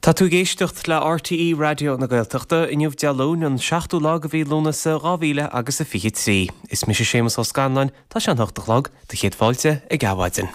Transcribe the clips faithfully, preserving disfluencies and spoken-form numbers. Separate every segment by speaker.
Speaker 1: Tá tú ag éisteacht le RTÉ Raidió na Gaeltachta inniu Dé Luain an seachtú lá de mhí Lúnasa dhá mhíle agus a fiche trí. Is mise Séamus Ó Scanláin, tá sé an hocht a chlog, do chéad fáilte ag Adhmhaidin.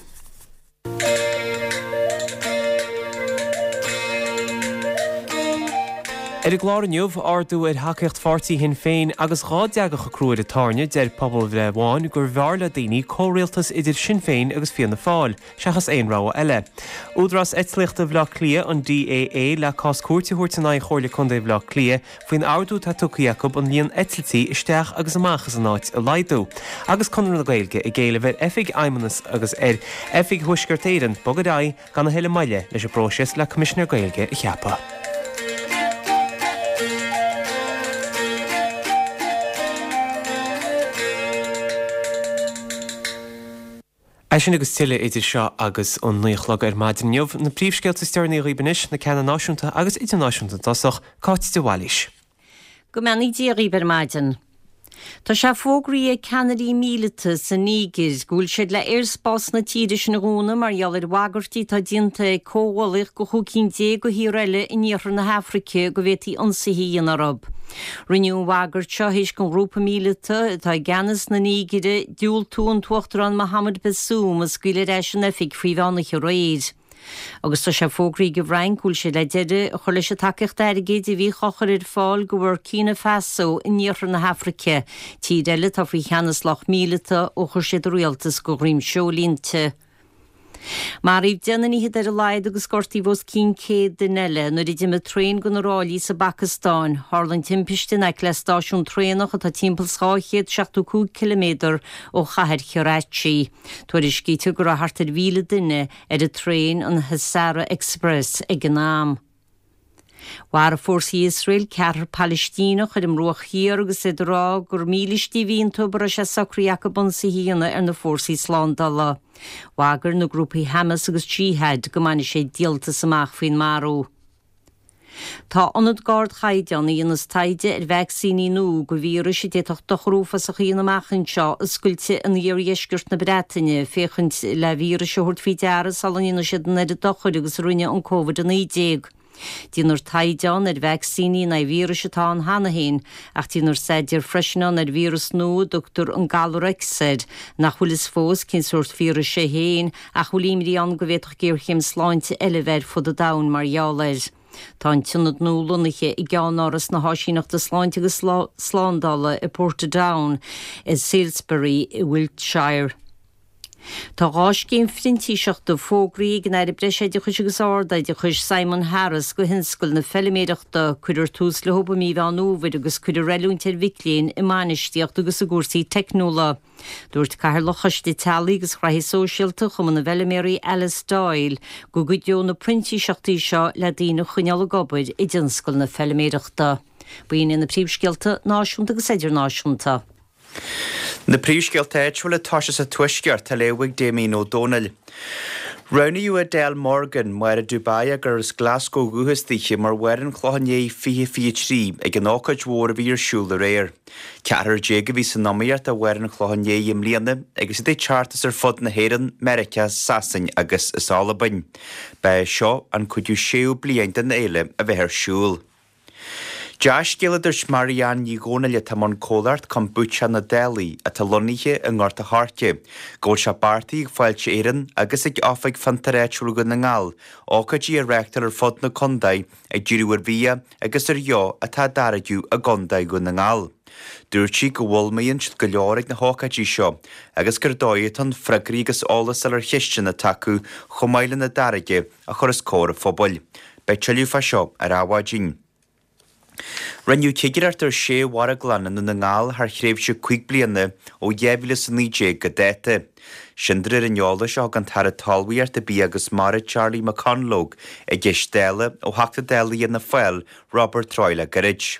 Speaker 1: Ar an gclár inniu, ardú ar thacaíocht pháirtí Shinn Féin agus dhá dteagadh a crú ar an tairne, deir pobalbhreith amháin gurbh fhearr le daoine comhrialtas idir Sinn Féin agus Fianna Fáil, seachas aon rogha eile. Údarás Eitlíochta Bhaile Átha Cliath, an DAA, le cás cúirte a thabhairt in aghaidh Chomhairle Contae Bhaile Átha Cliath faoin ordú atá tugtha acu an líon eitiltí isteach agus amach as an áit a laghdú. Agus Conradh na Gaeilge ag éileamh ar Oifig Fheidhmeannas agus ar Oifig Thuaisceart Éireann bogadh ar aghaidh gan a thuilleadh moille leis an bpróiseas le Coimisinéir Gaeilge a cheapadh. É sin agus tuilleadh idir seo agus an naoi a chlog ar maidin inniu. Na príomhscéalta is deireanaí dhaoibh anois, na ceanna náisiúnta agus idirnáisiúnta i dtosach, Cáit de Bhailís.
Speaker 2: Go mbeannaí Dia dhaoibh ar maidin. Tá sé fógraithe ag ceannairí míleata sa Nígir go bhfuil siad le aerspás na tíre sin a dhúnadh mar gheall ar bhagairtí atá déanta ag comhghuaillíocht de chúig cinn déag de thíortha eile in iarthar na hAfraice go bhféadfaí ionsaithe a dhéanamh orthu. Rinneadh an bhagairt seo théis don ghrúpa míleata atá i gceannas na Nígire diúltú an tUachtarán Mohamed Bazoum a scaoileadh ar ais in oifig faoi mheán oíche aréir. Agus tá sé fógraithe ag an bhFrainc go bhfuil siad le deireadh a chur leis an tacaíocht airgid a bhíodh á chur ar fáil go Bhurkina Faso in iarthar na hAfraice, tír eile atá faoi cheannas lucht míleata ó chuir siad a rialtas de dhroim seoil inti. Maraíodh deich nduine fhichead ar a laghad agus gortaíodh os cionn céad duine eile nuair a d'imigh traein de na ráillí sa bPacastáin. Tharla an timpiste in aice le stáisiún traenach atá timpeall is dhá chéad seachtó cúig ciliméadar ó chathair Karachi. Tuairiscítear go raibh thart ar mhíle duine ar an traein, an Hazara Express, ag an am. Mharaigh fórsaí Iosrael ceathrar Palaistíneach ar an mBruach Thiar agus iad ag rá gur mílístí a bhí iontu a raibh sé socraithe acu ionsaithe a dhéanamh ar na fórsaí slándála. Bhagair na grúpaí Hamas agus Jihad go mbainfidh siad díoltas amach faoin marú. Tá ionad d'ardchaighdeán a dhéanas taighde ar vacsaíní nua do víris a d'fhéadfadh dochar uafásach a dhéanamh amach anseo oscailte in iardheisceart na Breataine féachaint le víris a thabhairt faoi deara sula ndéanfaidh siad an oiread dochair agus a rinne an Covid a naoi déag. Déanfar taighde ann ar vacsaíní in aghaidh víris atá ann cheana féin, ach déanfar staidéar freisin ann ar víreas nua a dtugtar an Galar X air, nach bhfuil fhios fós cén sórt víris é féin ach a bhfuil imní ann go bhféadfadh géarchéim sláinte eile a bheith ar fud an domhain mar gheall air. Tá an t-ionad nua lonnaithe i gceannáras na hÁisíneachta Sláinte agus Slándála i Portadown i Salisbury i Wiltshire. Tá dhá scéim phrintíseachta fógraithe ag an Aire Breisoideachais agus Ardoideachais, Simon Harris, do thionscal na feiliméireachta. Cuirfear tús leo i mí Mheán Fhómhair agus cuirfear oiliúint ar mhic léinn i mbainistíocht agus i gcúrsaí teicniúla. Dúirt Cathaoirleach Choiste Teaghlaigh agus Ghraithí Sóisialta Chumann na bhFeiliméaraí Alice Doyle go gcuideoidh na printíseachtaí seo le daoine a choinneáil ag obair i dtionscal na feiliméireachta. B'in iad na príomhscéalta náisiúnta agus idirnáisiúnta.
Speaker 3: Na príomhscéalta áitiúla toisithe sa Tuaisceart á léamh ag Damien Ó Dónaill. Roghnaíodh Adele Morgan, Máire Dubai gur as Glasgow ó dhúchas daoithe, mar Mháire an Chlocháin Léith fiche fiche trí ag an ócáid mhór a bhí ar siúl aréir. Ceathrar déag a bhí san iomaíocht do Mháire an Chlocháin Léith i mbliana agus iad ag teacht as ar fud na hÉireann, Meiriceá, Sasain agus as Albain. Ba é seo an cúigiú séú bliain den fhéile a bheith ar siúl. Dea-scéal a dúirt Marianne Ní Dhomhnaill atá i mbun comhlacht Kombucha na Dálaí atá lonnaithe i nGort a' Choirce, go bhfuil sé beartaithe ag Fáilte Éireann agus ag Oifig Fiontar Áitiúil Dhún na nGall ócáidí a reáchtáil ar fud na contae ag díriú ar bhia agus ar dheoch atá á dtáirgeadh i gContae Dhún na nGall. Dúirt sí go bhfoghlaimíonn siad go leor ag na hócáidí seo agus gur dóigh atá ann freagraí agus eolas a fháil ar cheisteanna atá acu chomh maith lena dtáirge a chur os comhair an phobail. Beidh tuilleadh fá seo ar Adhmhaidin. Rinneadh cigireacht ar sé mharglann i nDún na nGall thar thréimhse cúig bliana ó dhá mhíle is a naoi déag go dáta. Sin de réir an eolais a thug an tAire Talmhaíochta, Bia agus Mara Charlie McConalogue i gceist Dála ó Theachta Dála Fhianna Fáil Robert Troy le gairid.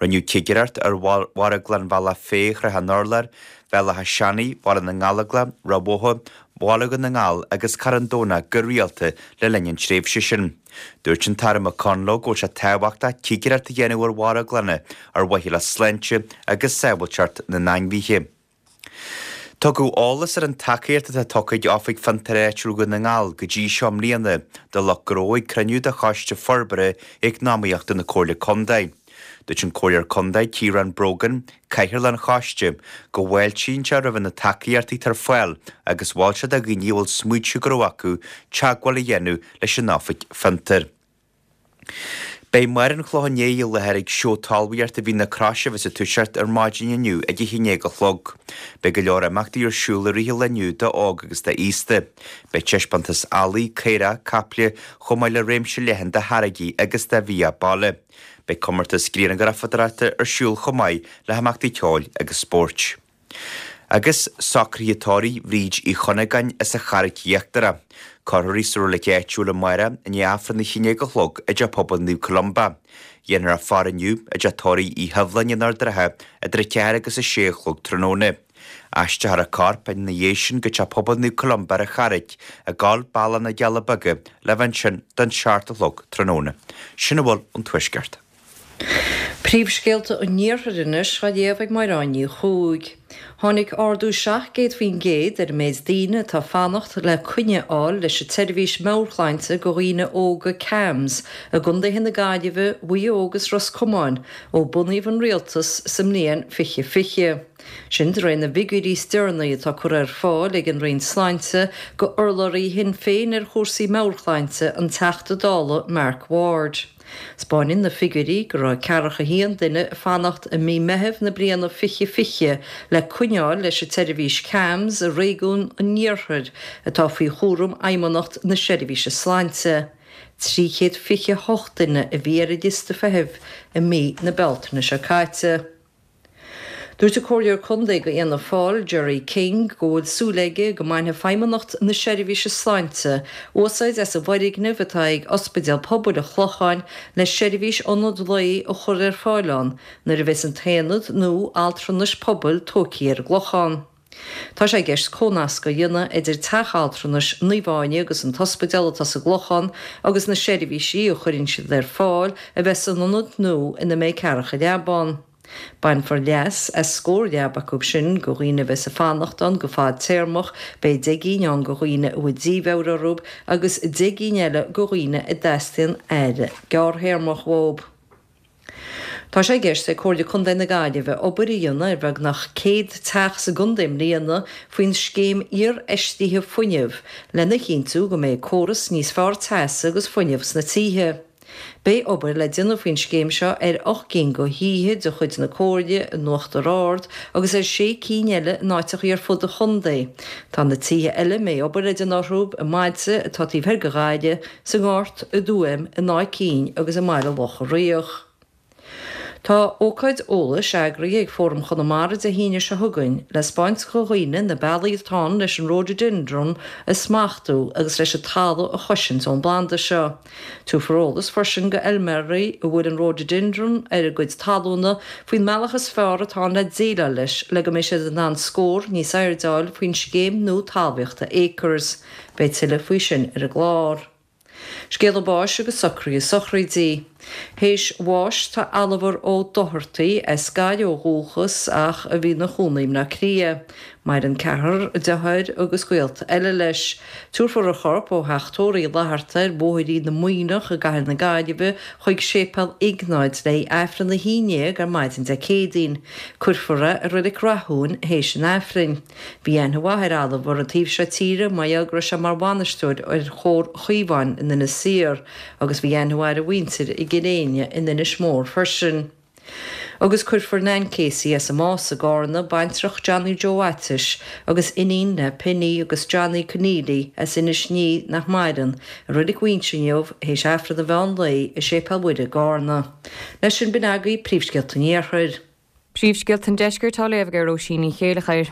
Speaker 3: Rinneadh cigireacht ar mharglann Bhealach Féich, Shraith an Urláir, Bhéal Átha Seanaidh, Bhaile na nGallóglach, Ráth Bhotha, Bhaile Dhún na nGall agus Carn Domhnach go rialta le linn an tréimhse sin. Dúirt an tAire McConalogue go bhfuil sé tábhachtach cigireacht a dhéanamh ar mharglanna ar mhaithe le sláinte agus sábháilteacht na n-ainmhithe. Tugadh eolas ar an tacaíocht atá tugtha ag Oifig Fiontair Áitiúil Dhún na nGall go dtí seo i mbliana do lucht gnó ag cruinniú de Choiste Forbartha Eacnamaíochta na Comhairle Contae. Dúirt an Comhairleoir Contae Ciarán Brogan, Cathaoirleach an Choiste, go bhfáiltíonn sé roimh na tacaíochtaí atá ar fáil agus mhol sé do dhaoine a bhfuil smaointe gnó acu teagmháil a dhéanamh leis an Oifig Fiontair. Beidh Máire an Chlocháin Léith i láthair ag seó talmhaíochta Mhín na Croise a bheas ag toiseacht ar maidin inniu ag a haon déag a chlog. Beidh go leor imeachtaí ar siúl i rith an lae inniu d'óg agus d'aosta. Beidh taispeántas eallaigh, caorach, caiple chomh maith le réimse leathan de tháirgí agus de bhia baile. Beidh comórtas grianghrafadóireachta ar siúl chomh maith le himeachtaí ceoil agus spóirt. Agus socruithe tórraimh Bhríd Uí Chunagáin as an Charraic Íochtarach. Cuirfear í sa reilig áitiúil amárach i ndiaidh Aifreann a haon déag a chlog i dTeach Pobail Naomh Columba. Dhéanfar a faire inniu i dteach tórraimh Uí Shibhleáin in Ard an Rátha idir a ceathair agus a sé a chlog tráthnóna. Aistreofar a corp ina dhiaidh sin go Teach Pobail Naomh Columba ar an Charraic i gCoill Bealach na gCealla Beaga le bheith ansin don seacht a chlog tráthnóna. Sin a bhfuil ón Tuaisceart.
Speaker 4: Príomhscéalta an Iarthair anois á léamh ag Máireáin Ní Chuaig. Tháinig ardú seacht gcéad faoin gcéad ar an méid daoine atá ag fanacht le coinne a fháil leis an tseirbhís meabhairshláinte do dhaoine óga CAMHS i gcontaetha na Gaillimhe, Mhaigh Eo agus Ros Comáin ó bunaíodh an rialtas sa mbliain fiche fiche. Sin de réir na bhfigiúirí is deireanaí atá curtha ar fáil ag an Roinn Sláinte go urlabhraí Shinn Féin ar chúrsaí meabhairshláinte, an Teachta Dála Mark Ward. 'Spáineann na figiúirí go raibh ceathracha a haon duine ag fanacht i mí Meithimh na bliana fiche fiche le coinneáil leis an tseirbhís CAMHS i réigiún an Iarthair atá faoi chúram Fheidhmeannacht na Seirbhíse Sláinte. trí chéad fiche a hocht duine a bhí ar an liosta feithimh i mí na Bealtaine seo caite. Dúirt an Comhairleoir Contae do Fhianna Fáil, Gerry King, go bhfuil súil aige go mbainfidh Feidhmeannacht na Seirbhíse Sláinte úsáid as an bhfoirgneamh atá ag Ospidéal Pobail an Chlocháin le seirbhís ionad lae a chur ar fáil ann nuair a bheas an t-aonad nua altranais pobail tógtha ar an gClochán. Tá sé i gceist comhnasc a dhéanamh idir teach altranais Naomh Áine agus an t-ospidéal atá sa gClochán agus na seirbhísí a chuireann siad ar fáil a bheith san ionad nua ina mbeidh ceathracha leaba ann. Bainfear leas as scór leaba acu sin go dhaoine a bheas ag fanacht ann go fadtéarmach, beidh deich gcinn ann go dhaoine a bhfuil dímheabhair orthu agus deich gcinn eile go dhaoine a dteastaíonn aire gearrthéarmach uathu. Tá sé i gceist ag Comhairle Contae na Gaillimhe obair a dhéanamh ar bheagnach céad teach sa gcontae i mbliana faoin scéim iarfheistithe fuinnimh lena chinntiú go mbeidh córas níos fearr teasa agus fuinnimh sna tithe. Beidh obair le déanamh faoin scéim seo ar ocht gcinn de thithe de chuid na Comhairle in Uachtar Ard agus ar sé cinn eile in áiteachaí ar fud an chontae. Tá na tithe eile a mbeidh obair le déanamh orthu i mbailte atá taobh thoir de Ghaillimh, sa nGort, i dTuaim, in Áth Cinn agus i mBaile Locha Riach. Tá ócáid eolais eagraithe ag Fóram Chonamara Dé hAoine seo chugainn le 'spáint do dhaoine na bealaí atá ann leis an Rhododendron a smachtú agus leis an talamh a chosaint ón bplanda seo. Tabharfar eolas freisin do fheilméaraí a bhfuil an Rhododendron ar a gcuid talúna faoin mbealach is fearr atá ann le déileáil leis le go mbeidh siad in ann scór níos airde a fháil faoin scéim nua talmhaíochta Acres. Beidh tuilleadh faoi sin ar an gclár. Scéala báis agus socruithe sochraidí. Théis bháis tá Oliver Ó Dochartaigh, as Gaillimh ó dhúchas ach a bhí ina chónaí i mBleá Cliath. Maireann ceathrar deartháir agus gaolta eile leis. Tabharfar a chorp ó theach tórraimh Uí Fhlatharta ar Bhóithrín na Muimhneach i gCathair na Gaillimhe chuig Séipéal Iognáid le haghaidh Aifreann a haon déag ar maidin Dé Céadaoin. Cuirfear é i Reilig Rathúin théis an Aifrinn. Bhí aithne mhaith ar Oliver an taobh seo tíre mar gheall go raibh sé mar bhainisteoir ar Chomhar Chaomháin in Inis Oírr agus bhí aithne mhaith ar a mhuintir i gCill Éinne in Inis Mór freisin. Agus cuirfear Nan Casey as an Más i gCarna, baintreach Johnny Joe Atis agus iníon le Penny agus Johnny Conneely as Inis Ní nach maireann, i Reilig Mhuinseo inniu théis Aifreann an mheán lae i Séipéal Mhuire i gCarna. Leis sin b'in agaibh príomhscéalta an Iarthair.
Speaker 5: Príomhscéalta an Deiscirt á léamh ag Róisín Ní Chéileachair.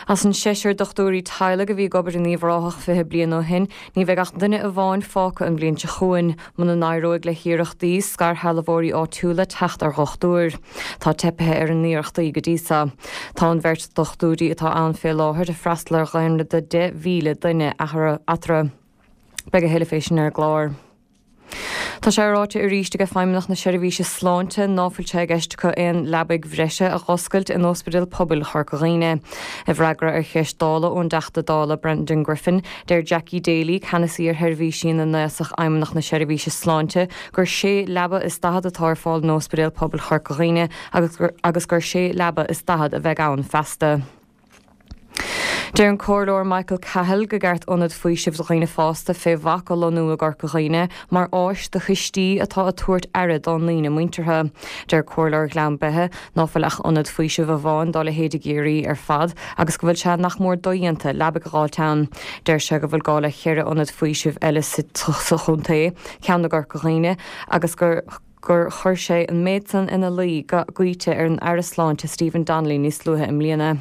Speaker 5: As an seisear dochtúirí teaghlaigh a bhí ag obair in Uíbh Ráthach fiche bliain ó shin, ní bheidh ach duine amháin fágtha an bhliain seo chugainn, muna n-éireoidh le hiarrachtaí scairshealbhóirí áitiúla teacht ar dhochtúir. Tá teipithe ar a n-iarrachtaí go dtí seo. Tá an bheirt dochtúirí atá ann fé láthair ag freastal ar dhaonra de deich mhíle duine eatarthu. Beidh a thuilleadh fé sin ar an gclár. Tá sé ráite arís ag Feidhmeannacht na Seirbhíse Sláinte ná fuil sé i gceist acu aon leabaidh bhreise a dh'oscailt in Ospidéal Pobail Chorca Dhuibhne. I bhfreagra ar cheist Dála ón dTeachta Dála Brendan Griffin, deir Jackie Daly, ceannasaí ar sheirbhísí na n-aosach Fheidhmeannacht na Seirbhíse Sláinte, gur sé leaba is daichead atá ar fáil in Ospidéal Pobail Chorca Dhuibhne agus gur, agus gur sé leaba is daichead a bheidh ann feasta. Deir an Comhairleoir Michael Cahill gur cheart ionad faoisimh do dhaoine fásta fé bhac a lonnú i gCorca Dhuibhne mar áis do thuistí atá ag tabhairt aire dá ndaoine muinteartha. Deir Comhairleoir Ghleann Beithe ná fuil ach ionad faoisimh amháin dá leithéid i gCiarraí ar fad agus go bhfuil sé nach mór dodhéanta leabaidh a dh'fháilt ann. Deir sé go bhfuil gá le ceithre ionad faoisimh eile sa chontae, ceann i gCorca Dhuibhne agus gur gur chuir sé an méid san ina luí go gaoite ar an Aire Sláinte Stephen Donnelly níos luaithe i mbliana.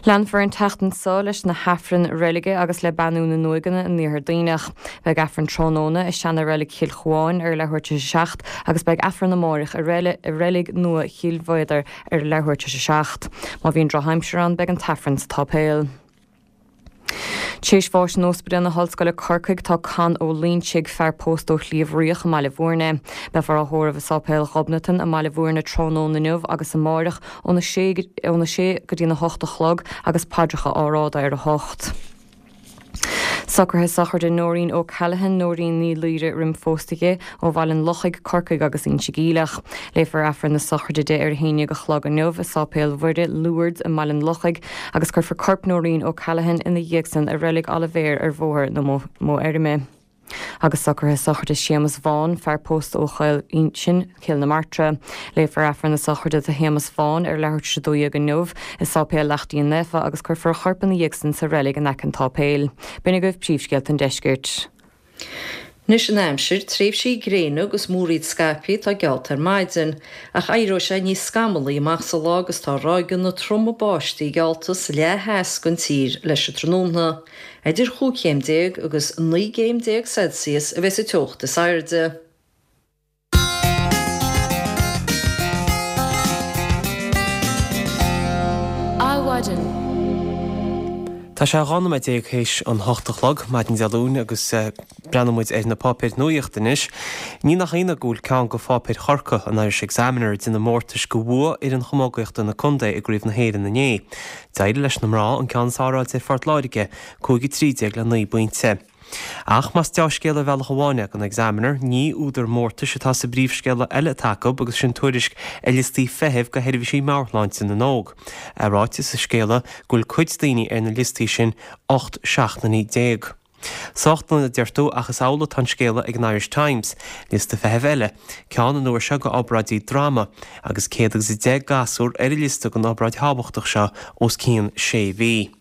Speaker 5: Leanfar an tseachtain seo leis na hAifrinn reilige agus le beannú na n-uaigheanna in Iarthar Duibhneach. Beidh Aifreann tráthnóna i seana-reilig Chill Chuáin ar leathuair tar éis a seacht agus beidh Aifreann amáireach i reilig nua Chill Mhéadair ar leathuair tar éis a seacht. Má bhíonn drochaimsir ann beidh an t-Aifreann sa tsáipéal. Théis bháis in Ospidéal na hOllscoile Corcaigh tá Con Ó Loinsigh, fear pósta ó Shliabh Riach i mBaile Bhúirne. Beifear á thórramh i Sáipéal Ghobnatan i mBaile Bhúirne tráthnóna inniu agus amáireach óna sé óna sé go dtína hocht a chlog agus paidreacha á rá ar a hocht. Socruithe sochraide Nóirín O'Callaghan, Nóirín Ní Laoire roim phósadh di, ó Bhaile an Lochaigh, Corcaigh agus Inse Geimhleach. Léifear Aifreann na sochraide di ar a haon déag a chlog inniu i Sáipéal Mhuire, Lourdes i mBaile an Lochaigh agus cuirfear corp Nóirín O'Callaghan ina dhiaidh san i reilig Oilibhéir ar Bhóthar na Mófheirme. Agus socruithe sochraide Séamus Vaughan, fear pósta ó Choill Uinsinn, Cill na Martra. Léifear Aifreann na sochraide do Shéamus Vaughan ar leathuair tar éis a dó dhéag inniu i Sáipéal Leacht Díon Naofa agus cuirfear a chorp ina dhiaidh san sa reilig in aice an tsáipéil. B'in agaibh príomhscéalta an deiscirt.
Speaker 4: Anois an aimsir, tréimhsí gréine agus múraíl scaipthe atá geallta ar maidin, ach éireoidh sé níos scamallaí amach sa lá agus tá ráigeanna troma báistí geallta sa leath theas den tír leis an tráthnóna. Idir chúig chéim déag agus naoi gcéim déag Celsius a bheas an teocht is airde.
Speaker 1: Adhmhaidin. Tá sé dhá nóiméad déag théis an hocht a chlog, maidin Dé Luain, agus breathnóidh muid ar na páipéir nuaíochta anois. Ní nach ionadh go bhfuil ceann de pháipéir Chorcaí, an Irish Examiner, ag déanamh mórtais de bhua fhoireann chamógaíochta na contae i gCraobh na hÉireann inné. D'éirigh leis na mná an ceann is fearr a fháilt ar Phort Láirge, cúig a trí déag le naoi bpointe. Ach más deá-scéala ar bhealach amháin é don Examiner, ní údar mórtais atá sa bpríomhscéala eile atá acu agus sin tuairisc ar liostaí feithimh do sheirbhísí meabhairshláinte na n-óg. É ráite sa scéala go bhfuil cuid daoine ar na liostaí sin ocht seachtainí déag. Sách dona a deir tú ach is amhlaidh atá an scéala ag an Irish Times, liosta feithimh eile, ceann an uair seo do obráidí droma, agus céad agus a deich gasúr ar an liosta don obráid thábhachtach seo os cionn sé mhí.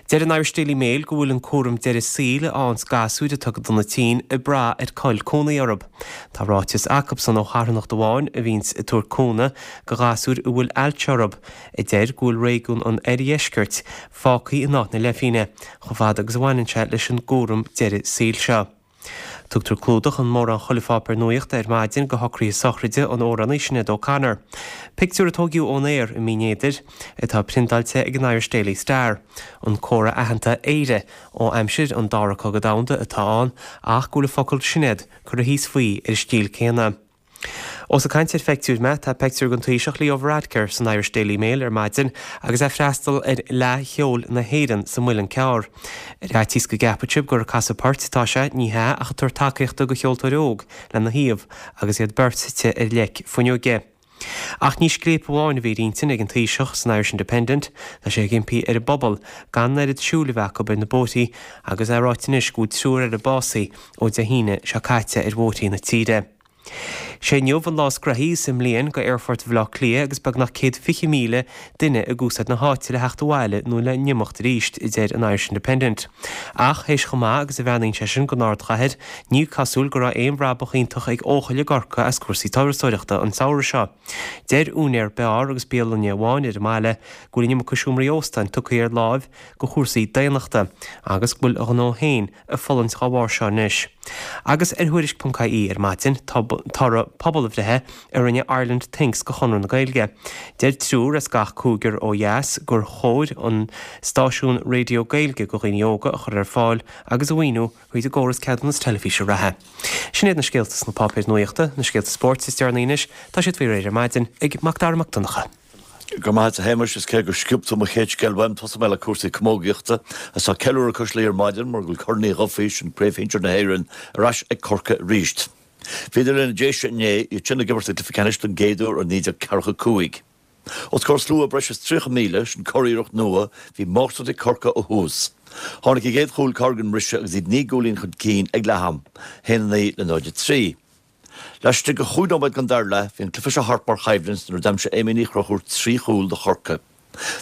Speaker 1: Deir an Irish Daily Mail go bhfuil an cúram deireadh saoil a fhaigheanns gasúir a tugadh do na tinn ag brath ar cá'il cónaí orthu. Tá ráiteas acubsan ó charthanacht amháin a bhíonns ag tabhairt cúnamh do ghasúir a bhfuil ailse orthu, a deir go bhfuil réigiún an oirdheiscirt fágtha in áit na leithphingne chomh fada agus a bhaineann sé leis an gcúram deireadh saoil seo. Tugtar clúdach in mórán chuile pháipéar nuaíochta ar maidin do shocruithe sochraide an amhránaí Sinéad O'Connor. Pictiúr a tóigeadh ón aer i mBinn Éadair atá priontáilte ag an Irish Daily Star. An comhartha aitheanta 'Éire' ó aimsir an Dara Cogadh Domhanda atá ann ach go bhfuil an focal 'Sinéad' curtha thíos faoi ar an stíl céanna. Ós ag caint ar pheictiúir mé, tá peictiúr den Taoiseach Leo Varadkar san Irish Daily Mail ar maidin agus é ag freastal ar Fhleadh Cheoil na hÉireann sa Muileann Cearr. Ar fhaitíos go gceapfadh sibh gur ag casadh poirt atá sé, ní hea ach ag tabhairt tacaíochta do cheoltóir óg lena thaobh agus iad beirt suite ar leic fuinneoige. Ach ní scléip amháin a bhí ar intinn ag an Taoiseach san Irish Independent, tá sé ag impí ar an bpobal gan an oiread siúil a bheith acu ar na bóithrí agus é ráite anois go bhfuil triúr eile básaithe ó Dé hAoine seo caite ar bhóithrí na tíre. Sé inniu an lá is gnoithí sa mbliain go Aerfort Bhaile Átha Cliath agus beagnach céad fiche míle duine ag úsáid na háite le theacht abhaile nó le n-imeacht arís, a deir an Irish Independent. Ach théis chomh maith agus a bhreathnaíonn sé sin don ardchathair, ní cosúil go raibh aon bhrabach iontach ag Eochaill i gCorcaigh as cúrsaí turasóireachta an samhradh seo. Deir úinéir beáir agus bialainne amháin ar an mbaile go bhfuil an iomarca seomraí óstáin tugtha ar láimh go chúrsaí daonnachta agus go bhfuil a ghnó féin ag fulaingt dhá bharr seo anois. Agus ar Thuairisc ponc ie ar maidin, tá toradh pobalbhreithe a rinne Ireland Thinks do Chonradh na Gaeilge. Deir triúr as gach cúigear ó dheas gur chóir an stáisiún raidió Gaeilge do dhaoine óga a chur ar fáil agus a mhaoiniú thríd an gcóras ceadúnas teilifíse reatha. Sin iad na scéalta sna páipéir nuachta, na scéalta spóirt is deireanaí anois, tá siad faoi réir ar maidin ag Macdara Mac Donncha.
Speaker 6: Go maith a Shéamais is cé gur sciob tú mo chéad scéal uaim tosóidh mé le cúrsaí camógaíochta is tá ceiliúradh cois Laoi ar maidin mar go bhfuil Corn Uí Dhufaigh sin Craobh Shinsir na hÉireann ar ais ag Corcaigh arís. Bhíodar linn i Déise inné, iad sin ag imirt i gcluiche ceannais don gcéad uair ó naoi déag ceathracha cúig. Os comhair slua breis is tríocha míle, sin curiarracht nua, bhí máistreacht ag Corcaigh ó thús. Tháinig a gcéad chúl gar don mbriseadh agus iad naoi gcúilín chun cinn ag leath-am, haon a naoi le náid a trí. Laistigh de chúig nóiméad den dara leath, bhí an cluiche seo thart mar choimhlint nuair a d'aimsigh Amy Ní Chonchúir trí chúl do Chorcaigh.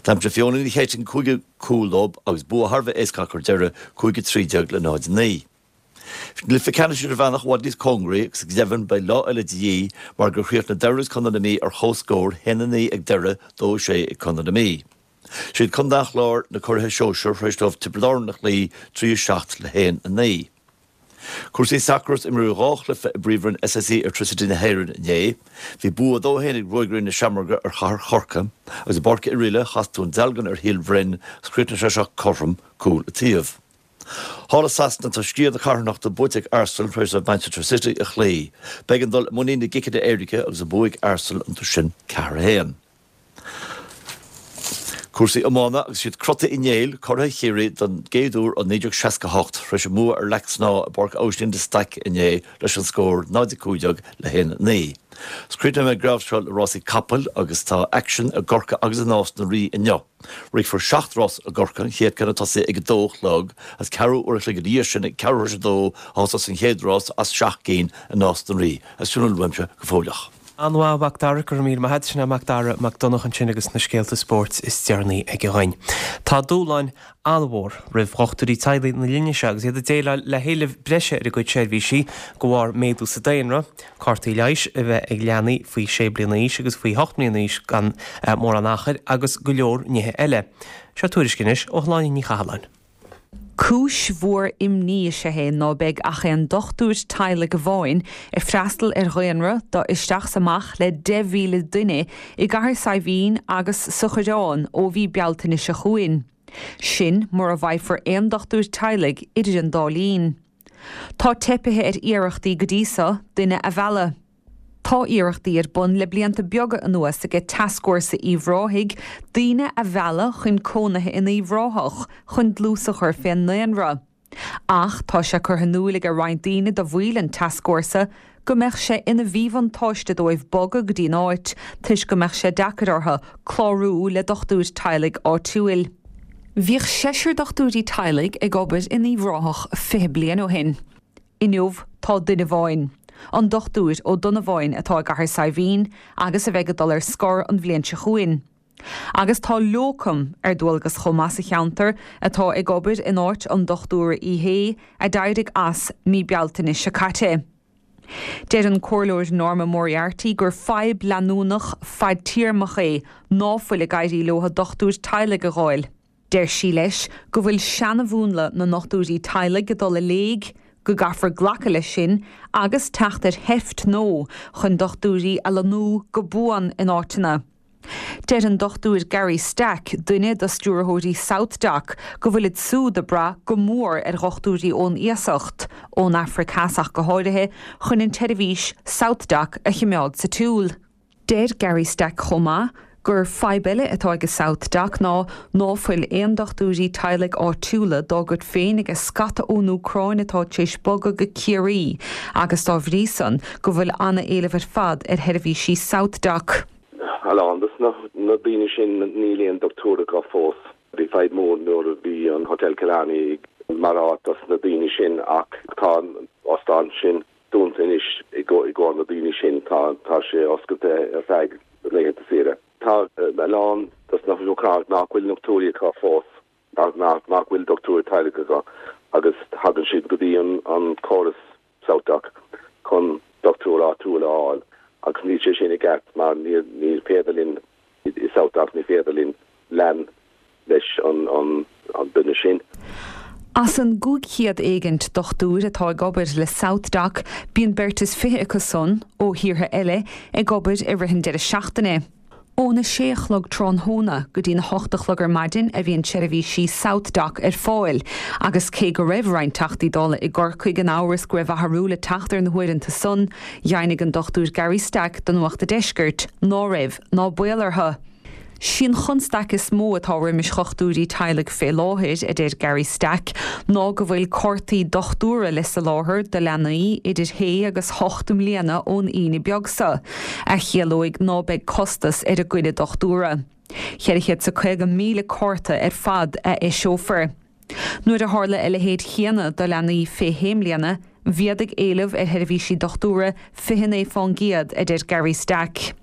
Speaker 6: D'aimsigh Fiona Ní Chéitinn cúigiú cúl dóibh agus bua thar a bheith éasca acu ar deireadh, cúig a trí déag le náid a naoi. Bhí an cluiche ceannais idirmheánach i bhfad níos cóngaraí agus go deimhin beidh lá eile de dhíth mar gur chríochnaigh Doire agus Contae na Mí ar comhscór, haon a naoi ag Doire, dó a sé ag Contae na Mí. Siad Contae an Chláir na curaithe sóisir tar éis dóibh Tiobraid Árann a chloí, trí a seacht le haon a naoi. Cúrsaí sacair is imríodh dhá chluiche i bPríomhroinn SSE Airtricity na hÉireann inné. Bhí bua a dó a haon ag Ruagairí na Seamróige ar Chathair Chorcaí agus i bPáirc Oirialla chas Dún Dealgan ar Shíol Bhroin agus chríochnaigh sé seo cothrom, cúl an taobh. Thall i Sasana tá sciath na carthanachta buaite ag Arsenal tar éis dóibh Manchester City a chloí. B'éigean dul i muinín na gciceanna éirice agus an bua ag Arsenal iontu sin ceathair a haon. Cúrsaí iomána agus iad Crotaigh Uí Néill curaithe Chiarraí don gcéad uair ó naoi déag seasca a hocht tar éis a mbua ar Leac Snámha i bPáirc Aibhistín de Staic inné leis an scór náid a cúig déag le haon a naoi. Is críochnóidh mé an geábh seo le rásaí capaill agus tá aicsean i gCorcaigh agus i Nás na Rí inniu. Rithfear seacht rás i gCorcaigh, an chéad ceann ag tosaí ag a dó a chlog agus ceathrú uair a chloig ina dhiaidh sin ag ceathrú tar éis a dó a thosós an chéad rás as seacht gcinn i Nás na Rí. Agus sin a bhfuil uaimse go fóilleach.
Speaker 1: An-mhaith, a Mhac Dara, go raibh míle maith agat. Sin é Macdara Mac Donncha ansin agus na scéalta spóirt is deireanaí aige dhuinn. Tá dúshláin an-mhór roimh dhochtúirí teaghlaigh na linne seo agus iad ag déileáil le héileamh breise ar a gcuid seirbhísí de bharr méadú sa daonra, cártaí leighis a bheith ag leanaí faoi sé bliana d'aois agus faoi hocht mbliana d'aois gan mórán achair agus go leor nithe eile. Seo tuairisc anois ó Shláine Ní Chathalláin.
Speaker 7: Cúis mhór imní is ea é ná beidh ach aon dochtúir teaghlaigh amháin ag freastal ar dhaonra de isteach 's amach le deich mhíle duine i gCathair Saidhbhín agus sa Choireán ó mhí Bealtaine seo chugainn. Sin mura bhfaighfear aon dochtúir teaghlaigh idir an dá linn. Tá teipithe ar iarrachtaí go dtí so duine a mhealladh. Tá iarrachtaí ar bun le blianta beaga anuas aige Tascfhórsa Uíbh Ráthaigh daoine a mhealladh chun cónaithe in Uíbh Ráthach chun dlús a chur fén ndaonra. Ach tá sé curtha in iúil aige roinnt daoine de bhaill an tascfhórsa go mbeadh sé ina mhíbhuntáiste dóibh bogadh go dtí'n áit toisc go mbeadh sé deacair orthu clárú le dochtúir teaghlaigh áitiúil. Bhíodh seisear dochtúirí teaghlaigh ag obair in Uíbh Ráthach fiche bliain ó shin. Inniu tá duine amháin, an Dochtúir Ó Donnabháin atá i gCathair Saidhbhín agus a bheidh ag dul ar scor an bhliain seo chugainn. Agus tá locum ar dualgas chomh maith sa cheantar atá ag obair in áit an Dochtúra Uí Shé a d'éirigh as mí Bealtaine seo caite. Deir an Comhairleoir Norma Moriarty gur fadhb leanúnach fadtéarmach é ná fuil ag éirí leo dochtúir teaghlaigh a dh'fháil. Deir sí leis go bhfuil seanamhúnla na ndochtúirí teaghlaigh ag dul i léig, go gcaithfear glacadh leis sin agus teacht ar sheift nua chun dochtúirí a lonnú go buan in áiteanna. Deir an Dochtúir Gary Stack, duine de stiúrthóirí SouthDoc, go bhfuilid siúd ag brath go mór ar dhochtúirí ón iasacht, ón Afraic Theas ach go háirithe, chun an tseirbhís SouthDoc a choimeád sa tsiúl. Deir Gary Stack chomh maith gur fadhb eile atá ag SouthDoc ná ná fuil aon dochtúirí teaghlaigh áitiúla dá gcuid féin aige scata ón Úcráin atá tar éis bogadh go Ciarraí agus dá bhrí san go bhfuil an-éileamh ar fad ar sheirbhísí SouthDoc.
Speaker 8: A lán dos na daoine sin níl aon dochtúir acu fós. Bhí fadhb mór nuair a bhí an Hotel Killarney mar áit dos na daoine sin ach tá an óstán sin dúnta anois i gcomhair na daoine sin. Tá tá sé oscailte ar feadh laethanta saoire. Tá a lán dos na hÚcránaigh nach bhfuil dochtúirí acu fós, nach nach bhfuil dochtúir teaghlaigh acu agus tagann siad go dtí an an córas SouthDoc chun dochtúir áitiúil a fháil agus níl sé sin i gceart mar ní ní féidir linn i SouthDoc ní féidir linn lean leis an an an duine sin.
Speaker 7: As an gcúig chéad éigint dochtúir atá ag obair le SouthDoc, bíonn beirt is fiche acu san, ó thíortha eile, ag obair i rith an deireadh seachtaine. Óna sé a chlog tráthnóna go dtí na hocht a chlog ar maidin a bhíonn seirbhísí SouthDoc ar fáil, agus cé go raibh roinnt Teachtaí Dála i gCorcaigh in amhras go raibh athrú le teacht ar na huaireanta san, dheimhnigh an Dochtúir Gary Stack do Nuacht an Deiscirt ná raibh ná baol orthu. Sí an chonstaic is mó atá roimis dhochtúirí teaghlaigh fé láthair, a deir Gary Stack, ná go bhfuil cártaí dochtúra le soláthar do leanaí idir shé agus hocht mbliana ón Aoine beag seo, a chiallóidh ná beidh costas ar an gcoinne dochtúra. Ceithre chéad 's a caoga míle cárta ar fad a eiseofar. Nuair a tharla a leithéid chéanna do leanaí fé shé mbliana, mhéadaigh éileamh ar sheirbhísí dochtúra fiche naoi fán gcéad, a deir Gary Stack.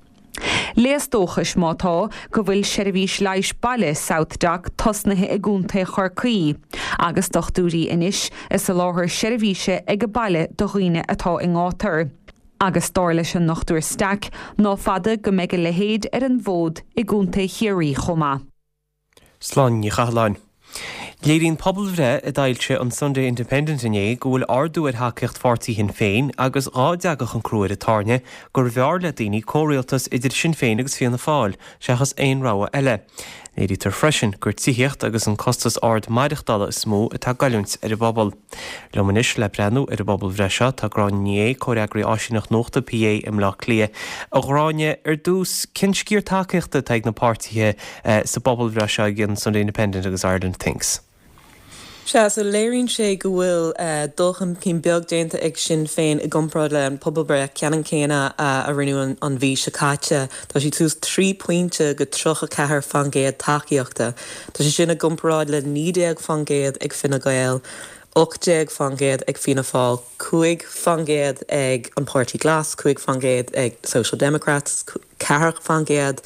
Speaker 7: Léas dóchais, má tá, go bhfuil seirbhís leighis baile SouthDoc tosnaithe i gContae Chorcaí, agus dochtúirí anois ag soláthar seirbhíse ag an baile do dhaoine atá i ngátar. Agus dar leis an nDochtúir Stack, ná fada go mbeidh a leithéid ar an bhfód i gContae Chiarraí chomh maith.
Speaker 1: Sláine Ní Chathalláin. Léiríonn pobalbhreith a d'fhoilsigh an Sunday Independent inné go bhfuil ardú ar thacaíocht pháirtí Shinn Féin agus dhá dtagadh an crú ar an tairne gurbh fhearr le daoine comhrialtas idir Sinn Féin agus Fianna Fáil seachas aon rogha eile. Léirítear freisin gur tithíocht agus an costas ard maireachtála is mó atá ag goilliúint ar an bpobal. Liom anois le breathnú ar an bpobalbhreith seo tá Gráinne Ní Aodha, Comhfhreagraí Áisíneacht Nuachta P A i mBleá Cliath. A Ghráinne, ar dtús, cén sciar tacaíochta atá ag na páirtithe sa bpobalbhreith seo ag an Sunday Independent agus Ireland Thinks?
Speaker 9: Sea, so léiríonn sé go bhfuil dul chun cinn beag déanta ag Sinn Féin i gcomparáid le an pobalbhreith ceannann céanna a rinneadh an mhí seo caite. Tá siad suas trí pointe go tríocha ceathair faoin gcéad tacaíochta. Tá sé sin i gcomparáid le naoi déag faoin gcéad ag Fine Gael, ocht déag faoin gcéad ag Fianna Fáil, cúig faoin gcéad ag an Páirtí Glas, cúig faoin gcéad ag Social Democrats, ceathair faoin gcéad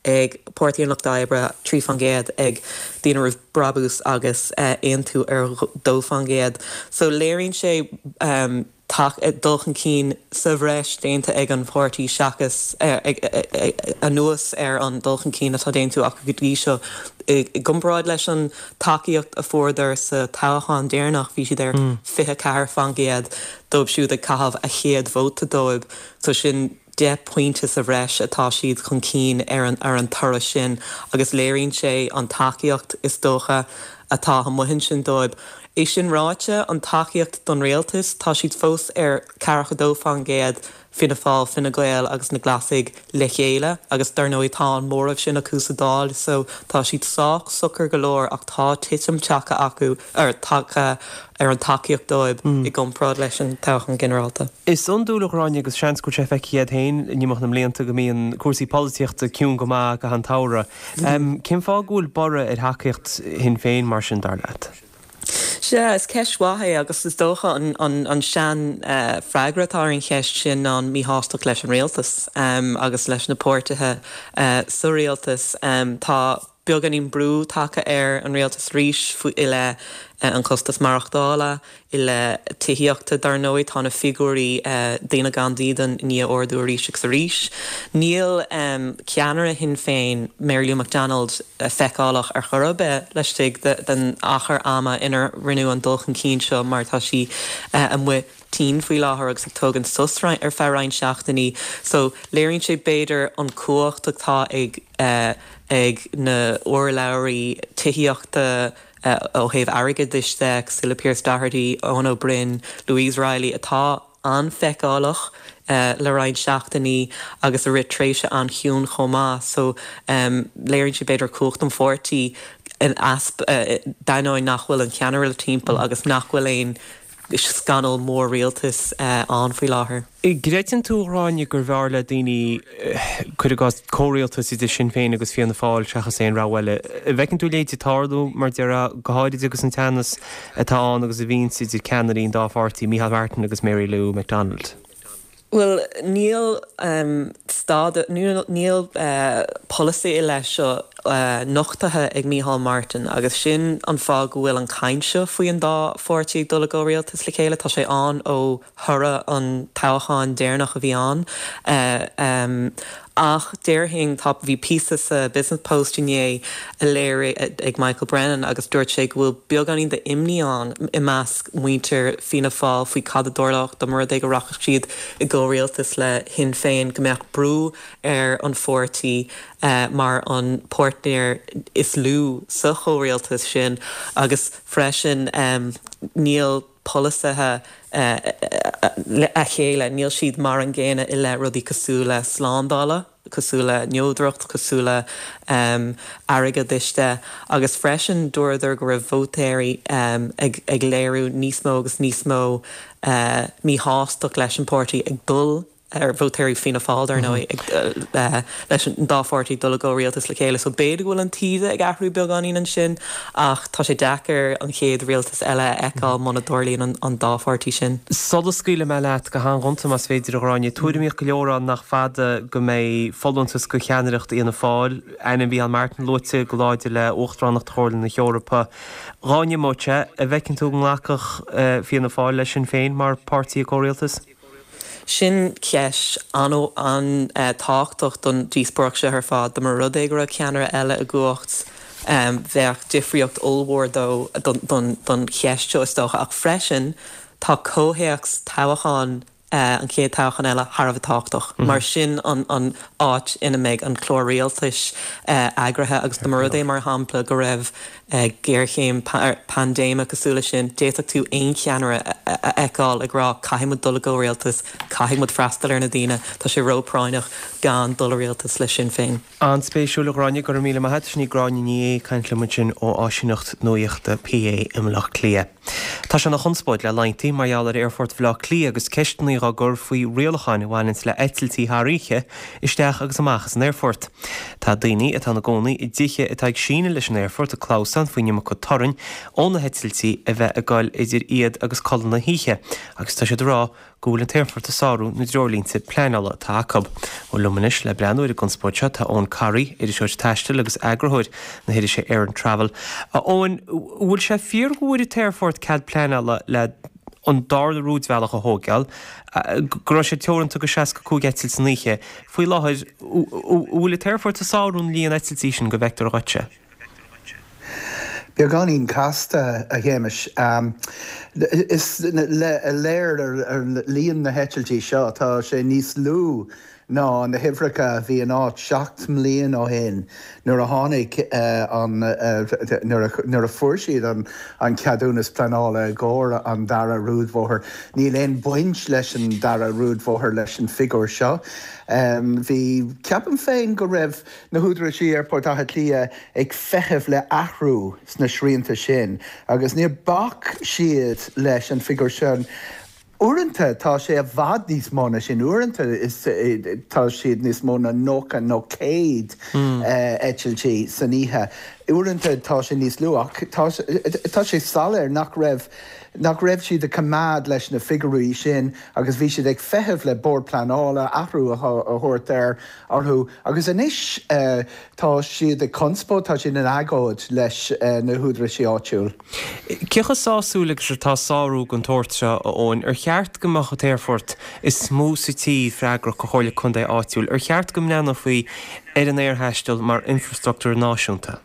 Speaker 9: ag Páirtí an Lucht Oibre, trí faoin gcéad ag Daoine Roimh Brabús agus Aontú ar dó faoin gcéad. So léiríonn sé dul chun cinn sa bhreis déanta ag an pháirtí seachas anuas ar an dul chun cinn atá déanta acu go dtí seo. I gcomparáid leis an tacaíocht a fuaireadar sa toghchán deireanach, bhí siad ar fiche ceathair faoin gcéad dóibh siúd ag caitheamh a chéad vóta dóibh, so sin deich pointe sa bhreis atá siad chun cinn ar an ar an toradh sin agus léiríonn sé an tacaíocht is dócha atá amuigh ansin dóibh. É sin ráite, an tacaíocht don rialtas, tá siad fós ar ceathracha dó faoin gcéad, Fianna Fáil, Fine Gael agus na Glasaigh le chéile agus dar ndóigh tá an móramh sin acu sa Dáil so tá siad sách socair go leor ach tá titim tagtha acu, or tagtha ar an tacaíocht dóibh i gcomparáid leis an toghchán ginearálta.
Speaker 1: Is iondúil, a Ghráinne, agus seans go bhfuil sé feicthe agat féin in imeacht na mblianta go mbíonn cúrsaí polaitíochta ciúin go maith i gcaitheamh an tsamhraidh. Cén fáth go bhfuil borradh ar thacaíocht Shinn Féin mar sin, dar leat?
Speaker 9: Sea, is ceist mhaith é agus is dócha an an an sean freagra atá ar an cheist sin ná an míshástacht leis an rialtas agus leis na páirtithe sa rialtas. Tá beagáinín brú tagtha ar an rialtas arís faoi i leith an chostas maireachtála, i leith tithíochta. Dar ndóigh tá na figiúirí daoine gan dídean i ndiaidh ardú arís agus arís. Níl ceannaire Shinn Féin, Mary Lou McDonald, feiceálach ar chor ar bith laistigh den achar ama inar rinneadh an dul chun cinn seo mar tá sí amuigh tinn faoi láthair agus ag tógaint sos ar feadh roinnt seachtainí. So léiríonn sé b'fhéidir an cumhacht atá ag ag na urlabhraí tithíochta ó thaobh airgeadais de, cosúil le Pearse Doherty, Eoin Ó Broin, Louise Reilly, atá an-fheiceálach le roinnt seachtainí agus a rith tréimhse an-chiúin chomh maith. So léiríonn sé b'fhéidir cumhacht an pháirtí in easpa, d'ainneoin nach bhfuil an ceannaire timpeall agus nach bhfuil aon scannal mór rialtais ann faoi láthair.
Speaker 1: An gcreideann tú, a Ghráinne, gurbh fhearr le daoine, cuir i gcás, comhrialtas idir Sinn Féin agus Fianna Fáil seachas aon rogha eile? An bhfeiceann tú a leithéid ag tarlú, mar déarfá, go háirid agus an teannas atá ann agus a bhíonns idir ceannairí an dá pháirtí, Micheál Martin agus Mary Lou McDonald?
Speaker 9: Bhuel, níl stad, níl polasaí i leith seo nochtaithe ag Micheál Martin agus sin an fáth go bhfuil an chaint seo faoi an dá pháirtí ag dul i gcomhrialtas le chéile, tá sé ann ó thoradh an toghcháin deireanach a bhí ann. Ach déarfainn tá bhí píosa sa Business Post inné a léirigh ag Michael Brennan agus dúirt sé go bhfuil beagáinín d'imní ann i measc muintir Fianna Fáil faoi cad a tharlódh dá mba rud é go rachadh siad i gcomhrialtas le Sinn Féin go mbeadh brú ar an pháirtí mar an páirtnéir is lú sa chomhrialtas sin agus freisin níl polasaithe a chéile, níl siad mar an gcéanna i leith rudaí cosúil le slándála, cosúil le neodracht, cosúil le airgeadas de agus freisin dúradar go raibh vótóirí ag ag léiriú níos mó agus níos mó míshástacht leis an páirtí ag dul ar vótóirí Fianna Fáil dar ndóigh leis an dá pháirtí dul i gcomhrialtas le chéile, so b'fhéidir go bhfuil an taoide ag athrú beagáinín ansin ach tá sé deacair an chéad rialtas eile a fheiceáil muna dtarlaíonn an dá pháirtí sin.
Speaker 1: Sula scaoilfidh mé leat go han-ghonta más féidir a Ghráinne, tuairimíocht go leor ann nach fada go mbeidh folúntas go cheannaireacht Fhianna Fáil, ainm Mhicheál Martin luaite go láidir le Uachtaránacht Chomhairle na hEorpa. Dhá n-imeodh sé, an bhfeiceann tú go nglacfadh Fianna Fáil leis Sinn Féin mar pháirtí i gcomhrialtas?
Speaker 9: Sin ceist an-tábhachtach don díospóireacht seo ar fad. Dá mba rud é go raibh ceannaire eile i gcumhacht, bheadh difríocht ollmhór dó don cheist seo is dócha. Ach freisin tá comhthéacs toghcháin an chéad toghchán eile thar a bheith tábhachtach, mar sin an an áit ina mbeidh an clár rialtais eagraithe agus dá mba rud é mar shampla go raibh géarchéim paindéime cosúil leis sin, d'fhéadfadh tú aon cheannaire a fheiceáil ag rá caithfidh muid dul i gcomhrialtas, caithfidh muid freastal ar na daoine, tá sé róphráinneach gan dul i rialtas le Sinn Féin.
Speaker 1: An-spéisiúil, a Ghráinne, go raibh míle maith agat. Sin í Gráinne Ní Aodha ag caint liom ansin ó áisíneacht nuachta PA i mBaile Átha Cliath. Tá sé ina chonspóid le laethanta mar gheall ar Aerfort Bhaile Átha Cliath agus ceisteanna á gcur faoi rialacháin a bhaineanns le heitiltí thar oíche isteach agus amach as an aerfort. Tá daoine atá ina gcónaí i dtithe atá ag síneadh leis an aerfort ag clamhsán faoin iomarca torainn ó na heitiltí a bheith ag goil idir iad agus codladh na hoíche agus tá siad ag rá go bhfuil an t-aerfort ag sárú na dtreoirlínte pleanála atá acu. Bhuel liom anois le breathnú ar an gconspóid seo tá Eoin Corry, iriseoir taistil agus eagarthóir na hirise Air and Travel. A Eoin, bhfuil sé fíor go bhfuair an t-aerfort cead pleanála le an darna rúidbhealach a thógáil, go raibh sé teoranta go seasca cúig eitilt san oíche. Faoi láthair, bhfuil an t-aerfort ag sárú an líon eitiltí sin go bhfeictear dhuitse?
Speaker 10: Beagáinín casta, a Shéamais. Is léir ar líon na heitiltí seo, tá sé níos lú ná na huimhreacha a bhí in áit seacht mbliain ó shin nuair a tháinig an nuair a fuair siad an ceadúnas pleanála i gcomhair an dara rúidbhóthar. Níl aon baint leis an dara rúidbhóthar leis an figiúr seo. Bhí, ceapaim féin go raibh na húdaráis Aerfort Átha Cliath ag feitheamh le athrú sna srianta sin agus níor bhac siad leis an figiúr sin. Uaireanta tá sé i bhfad níos mó ná sin, uaireanta is tá siad níos mó ná nócha nó céad eitiltí san oíche. Uaireanta tá sé níos lú ach tá tá sé soiléir nach raibh nach raibh siad ag coimeád leis na figiúirí sin agus bhí siad ag feitheamh le Bord Pleanála athrú a thabhairt air orthu agus anois tá siad ag conspóid, tá siad in agóid leis na húdaráis áitiúil.
Speaker 1: Cé chomh sásúil agus atá sárú den tsórt seo, a Eoin? Ar cheart go mbeadh an t-aerfort is mó sa tír freagrach do Chomhairle Contae áitiúil? Ar cheart go mbreathnófaí ar an aerthaisteal mar infreastruchtúr náisiúnta?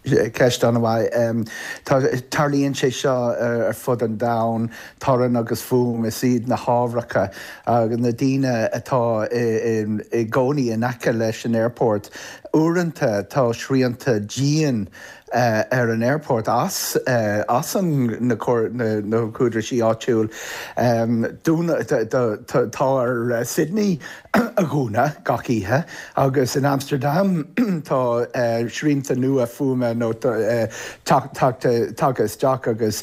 Speaker 10: Ceist an-mhaith. Tarlaíonn sé seo ar fud an domhain, torann agus fuaim, is iad na hábhracha agus na daoine atá i gcónaí in aice leis an aerfort. Uaireanta tá srianta dian ar an aerfort as as an na na húdaráis áitiúil. Tá ar Sydney a dhúnadh gach oíche agus in Amsterdam tá srianta nua fuaime nó tagtha isteach agus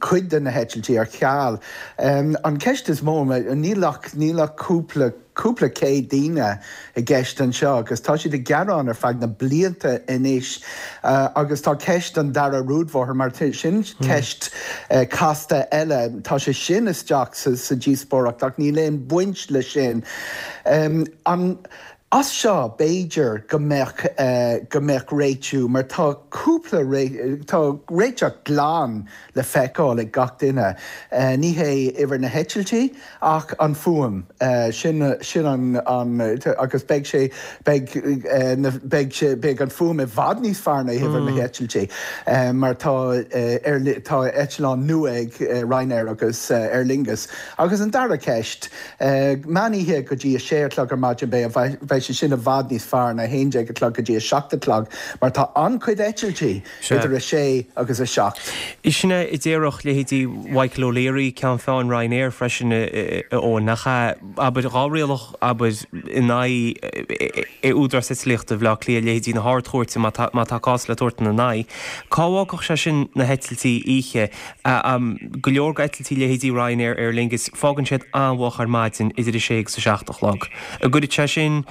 Speaker 10: cuid de na heitiltí ar ceal. An ceist is mó, níl ach níl ach cúpla cúpla céad daoine i gceist anseo agus tá siad ag gearán ar feadh na blianta anois agus tá ceist an dara rúidbhóthar mar sin ceist casta eile, tá sé sin isteach sa díospóireacht ach níl aon baint le sin. An As seo b'fhéidir go mbeadh go mbeadh réitiú mar tá cúpla tá réiteach glan le feiceáil ag gach duine. Ní hé uimhir na heitiltí ach an fuaim. Sin sin an an agus beidh sé beidh beidh sé beidh an fuaim i bhfad níos fearr ná uimhir na heitiltí mar tá ar tá eitleán nua ag Ryanair agus Aer Lingus. Agus an dara ceist, meán oíche go dtí a sé a chlog ar maidin beidh beidh sé sin i bhfad níos fearr ná a haon déag a chlog go dtí a seacht a chlog mar tá an-chuid eitiltí idir a sé agus a seacht.
Speaker 1: Sin é a déarfadh leithéidí Michael O'Leary, Ceann Feadhain Ryanair freisin, a Eoin, nach ea? Abair, dhá rialach, abair, in aghaidh Údarás Eitlíochta Bhaile Átha Cliath, leithéidí na hArd-Chúirte má tá má tá cás le tabhairt ina n-aghaidh. Cá bhfágfadh sé sin na heitiltí oíche? Go leor d'eitiltí leithéidí Ryanair, Aer Lingus, fágann siad an-mhoch ar maidin idir a sé agus a seacht a chlog. An gcuirfidh sé sin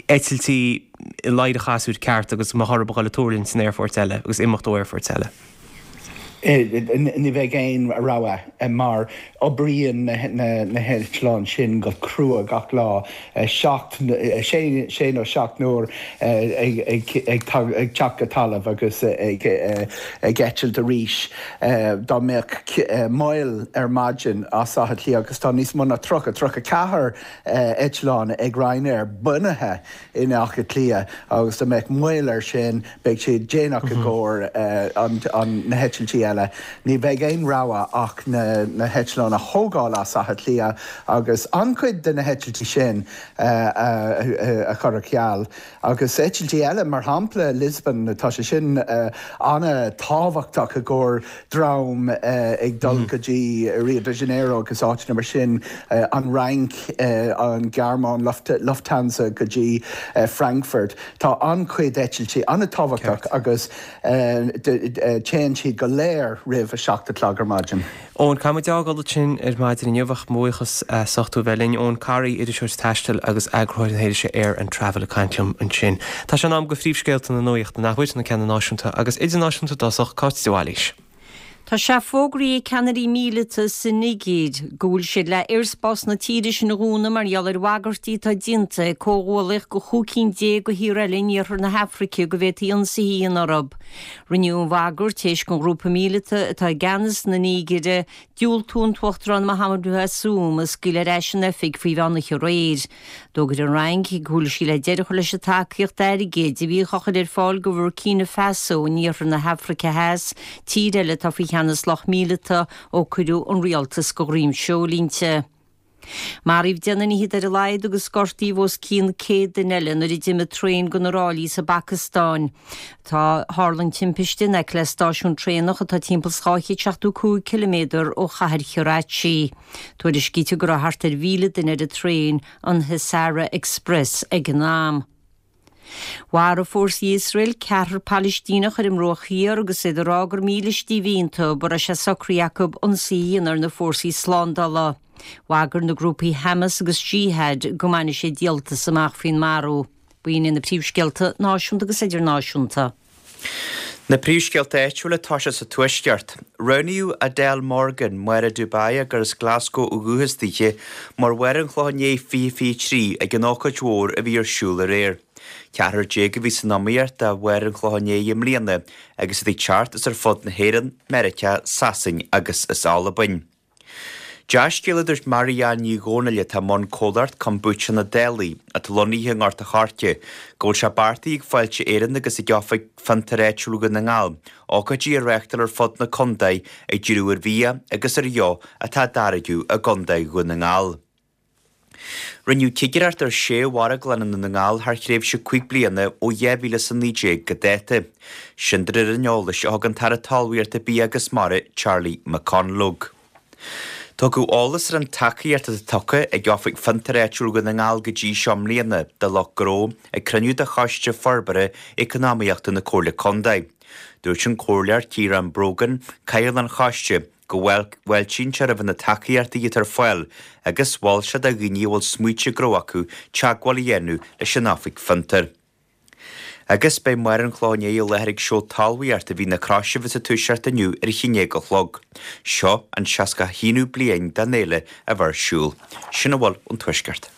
Speaker 1: eitiltí i ladhar an chasúir ceart agus go mbeadh orthu a dhul ag tuirlingt in aerfoirt eile agus imeacht ó aerfoirt eile?
Speaker 10: Ní bheidh aon rogha mar oibríonn na heitleáin sin go crua gach lá, seacht, sé nó seacht n-uair ag teacht go talamh agus ag eitilt arís. Dá mbeadh moill ar maidin as Áth Cliath agus tá níos mó ná tríocha, tríocha ceathair eitleán ag Ryanair bunaithe in Áth Cliath agus dá mbeadh moill air sin beidh sé déanach i gcomhair na heitiltí eile. Ní bheidh aon rogha ach na heitleáin a thógáil as Áth Cliath agus an-chuid de na heitiltí sin a chur ar ceal. Agus eitiltí eile, mar shampla Lisbon, tá sé sin an-tábhachtach i gcomhair dream ag dul go dtí Rio de Janeiro agus áiteanna mar sin, an Fhrainc, an Ghearmáin, Lufthansa go dtí Frankfurt. Tá an-chuid eitiltí an-tábhachtach agus téann siad go léir roimh a seacht a chlog ar maidin.
Speaker 1: Eoin, caithfidh muid a fhágáil ansin ar maidin inniu ach mo bhuíochas as ucht tú a bheith linn. Eoin Corry, iriseoir taistil agus eagarthóir na hirise Air and Travel ag caint liom ansin. Tá sé in am do phríomhscéalta na nuachta, nach bhfuil, na ceanna náisiúnta agus idirnáisiúnta i dtosach, Cáit de Bhailís.
Speaker 2: Tá sé fógraithe ag ceannairí míleata sa Nigéir go bhfuil siad le aerspás na tíre sin a dhúnadh mar gheall ar bhagairtí atá déanta ag comhghuallaíocht de chúig cinn déag de thíortha eile in iarthar na hAfraice go bhféadfaí ionsaithe a dhéanamh orthu. Rinneadh an bhagairt tar éis don ghrúpa míleata atá i gceannas na Nigéire diúltú an tUachtarán Mohamadou Bazoum a scaoileadh ar ais in oifig faoi mheán oíche aréir. D'fhógair an Fhrainc go bhfuil sí le deireadh a chur leis an tacaíocht airgid a bhíodh á chur ar fáil do Bhurkina Faso in iarthar na hAfraice Theas, tír eile atá faoi cheannas lucht míleata ó cuireadh an rialtas de dhroim seoil inti. Maraíodh deich nduine fhichead ar a laghad agus gortaíodh os cionn céad duine eile nuair a d'imigh traein de na ráillí sa bPacastáin. Tá tharla an timpiste in aice le stáisiún traenach atá timpeall is dhá chéad seachtó cúig ciliméadar ó chathair Karachi. Tuairiscítear go raibh thart ar mhíle duine ar an traein, an Hazara Express, ag an am. Mharaigh fórsaí Iosrael ceathrar Palaistíneach ar an mBruach Thiar agus iad ag rá gur mílístí a bhí iontu, go raibh sé socraithe acu ionsaí a dhéanamh ar na fórsaí slándála. Bhagair na grúpaí Hamas agus Jihad go mbainfidh siad díoltas amach faoin marú. B'in iad na príomhscéalta náisiúnta agus idirnáisiúnta.
Speaker 3: Na príomhscéalta áitiúla atá sé sa Tuaisceart. Roghnaíodh Adele Morgan, Máire Dubai gur as Glasgow ó dhúchas daoithe, mar Mháire an Chlocháin Léith fiche fiche trí ag an ócáid mhór a bhí ar siúl aréir. Ceathrar déag a bhí san iomaíocht do Mháire an Chlocháin Léith i mbliana agus iad ag teacht as ar fud na hÉireann, Meiriceá, Sasain agus as Albain. Dea-scéala a dúirt Mary-Ann Ní Dhomhnaill atá i mbun comhlacht Kombucha na Dálaí, atá lonnaithe i nGort a' Choirce, go bhfuil sé beartaithe ag Fáilte Éireann agus ag Oifig Fiontar Áitiúil Dhún na nGall ócáidí a reáchtáil ar fud na contae ag díriú ar bhia agus ar dheoch atá á dtáirgeadh i gContae Dhún na nGall. Rinneadh cigireacht ar sé mharglann i nDún na nGall thar thréimhse cúig bliana ó dhá mhíle is a naoi déag go dáta. Sin de réir an eolais a thug an tAire Talmhaíochta, Bia agus Mara, Charlie McConalogue. Tugadh eolas ar an tacaíocht atá tugtha ag Oifig Fiontar Áitiúil Dhún na nGall go dtí seo i mbliana do lucht gnó ag cruinniú de Choiste Forbartha Eacnamaíochta na Comhairle Contae. Dúirt an Comhairleoir Ciarán Brogan, Cathaoirleach an Choiste, go bhfáiltíonn sé roimh na tacaíochtaí atá ar fáil agus mhol sé do dhaoine a bhfuil smaointe gnó acu teagmháil a dhéanamh leis an Oifig Fiontar. Agus beidh Máire an Chlocháin Léith i láthair ag seó talmhaíochta a bhí na Croise sa Tuaisceart inniu ar a haon déag a chlog. Seo an seasca haonú bliain den fhéile a bheith ar siúl. Sin a bhfuil ón Tuaisceart.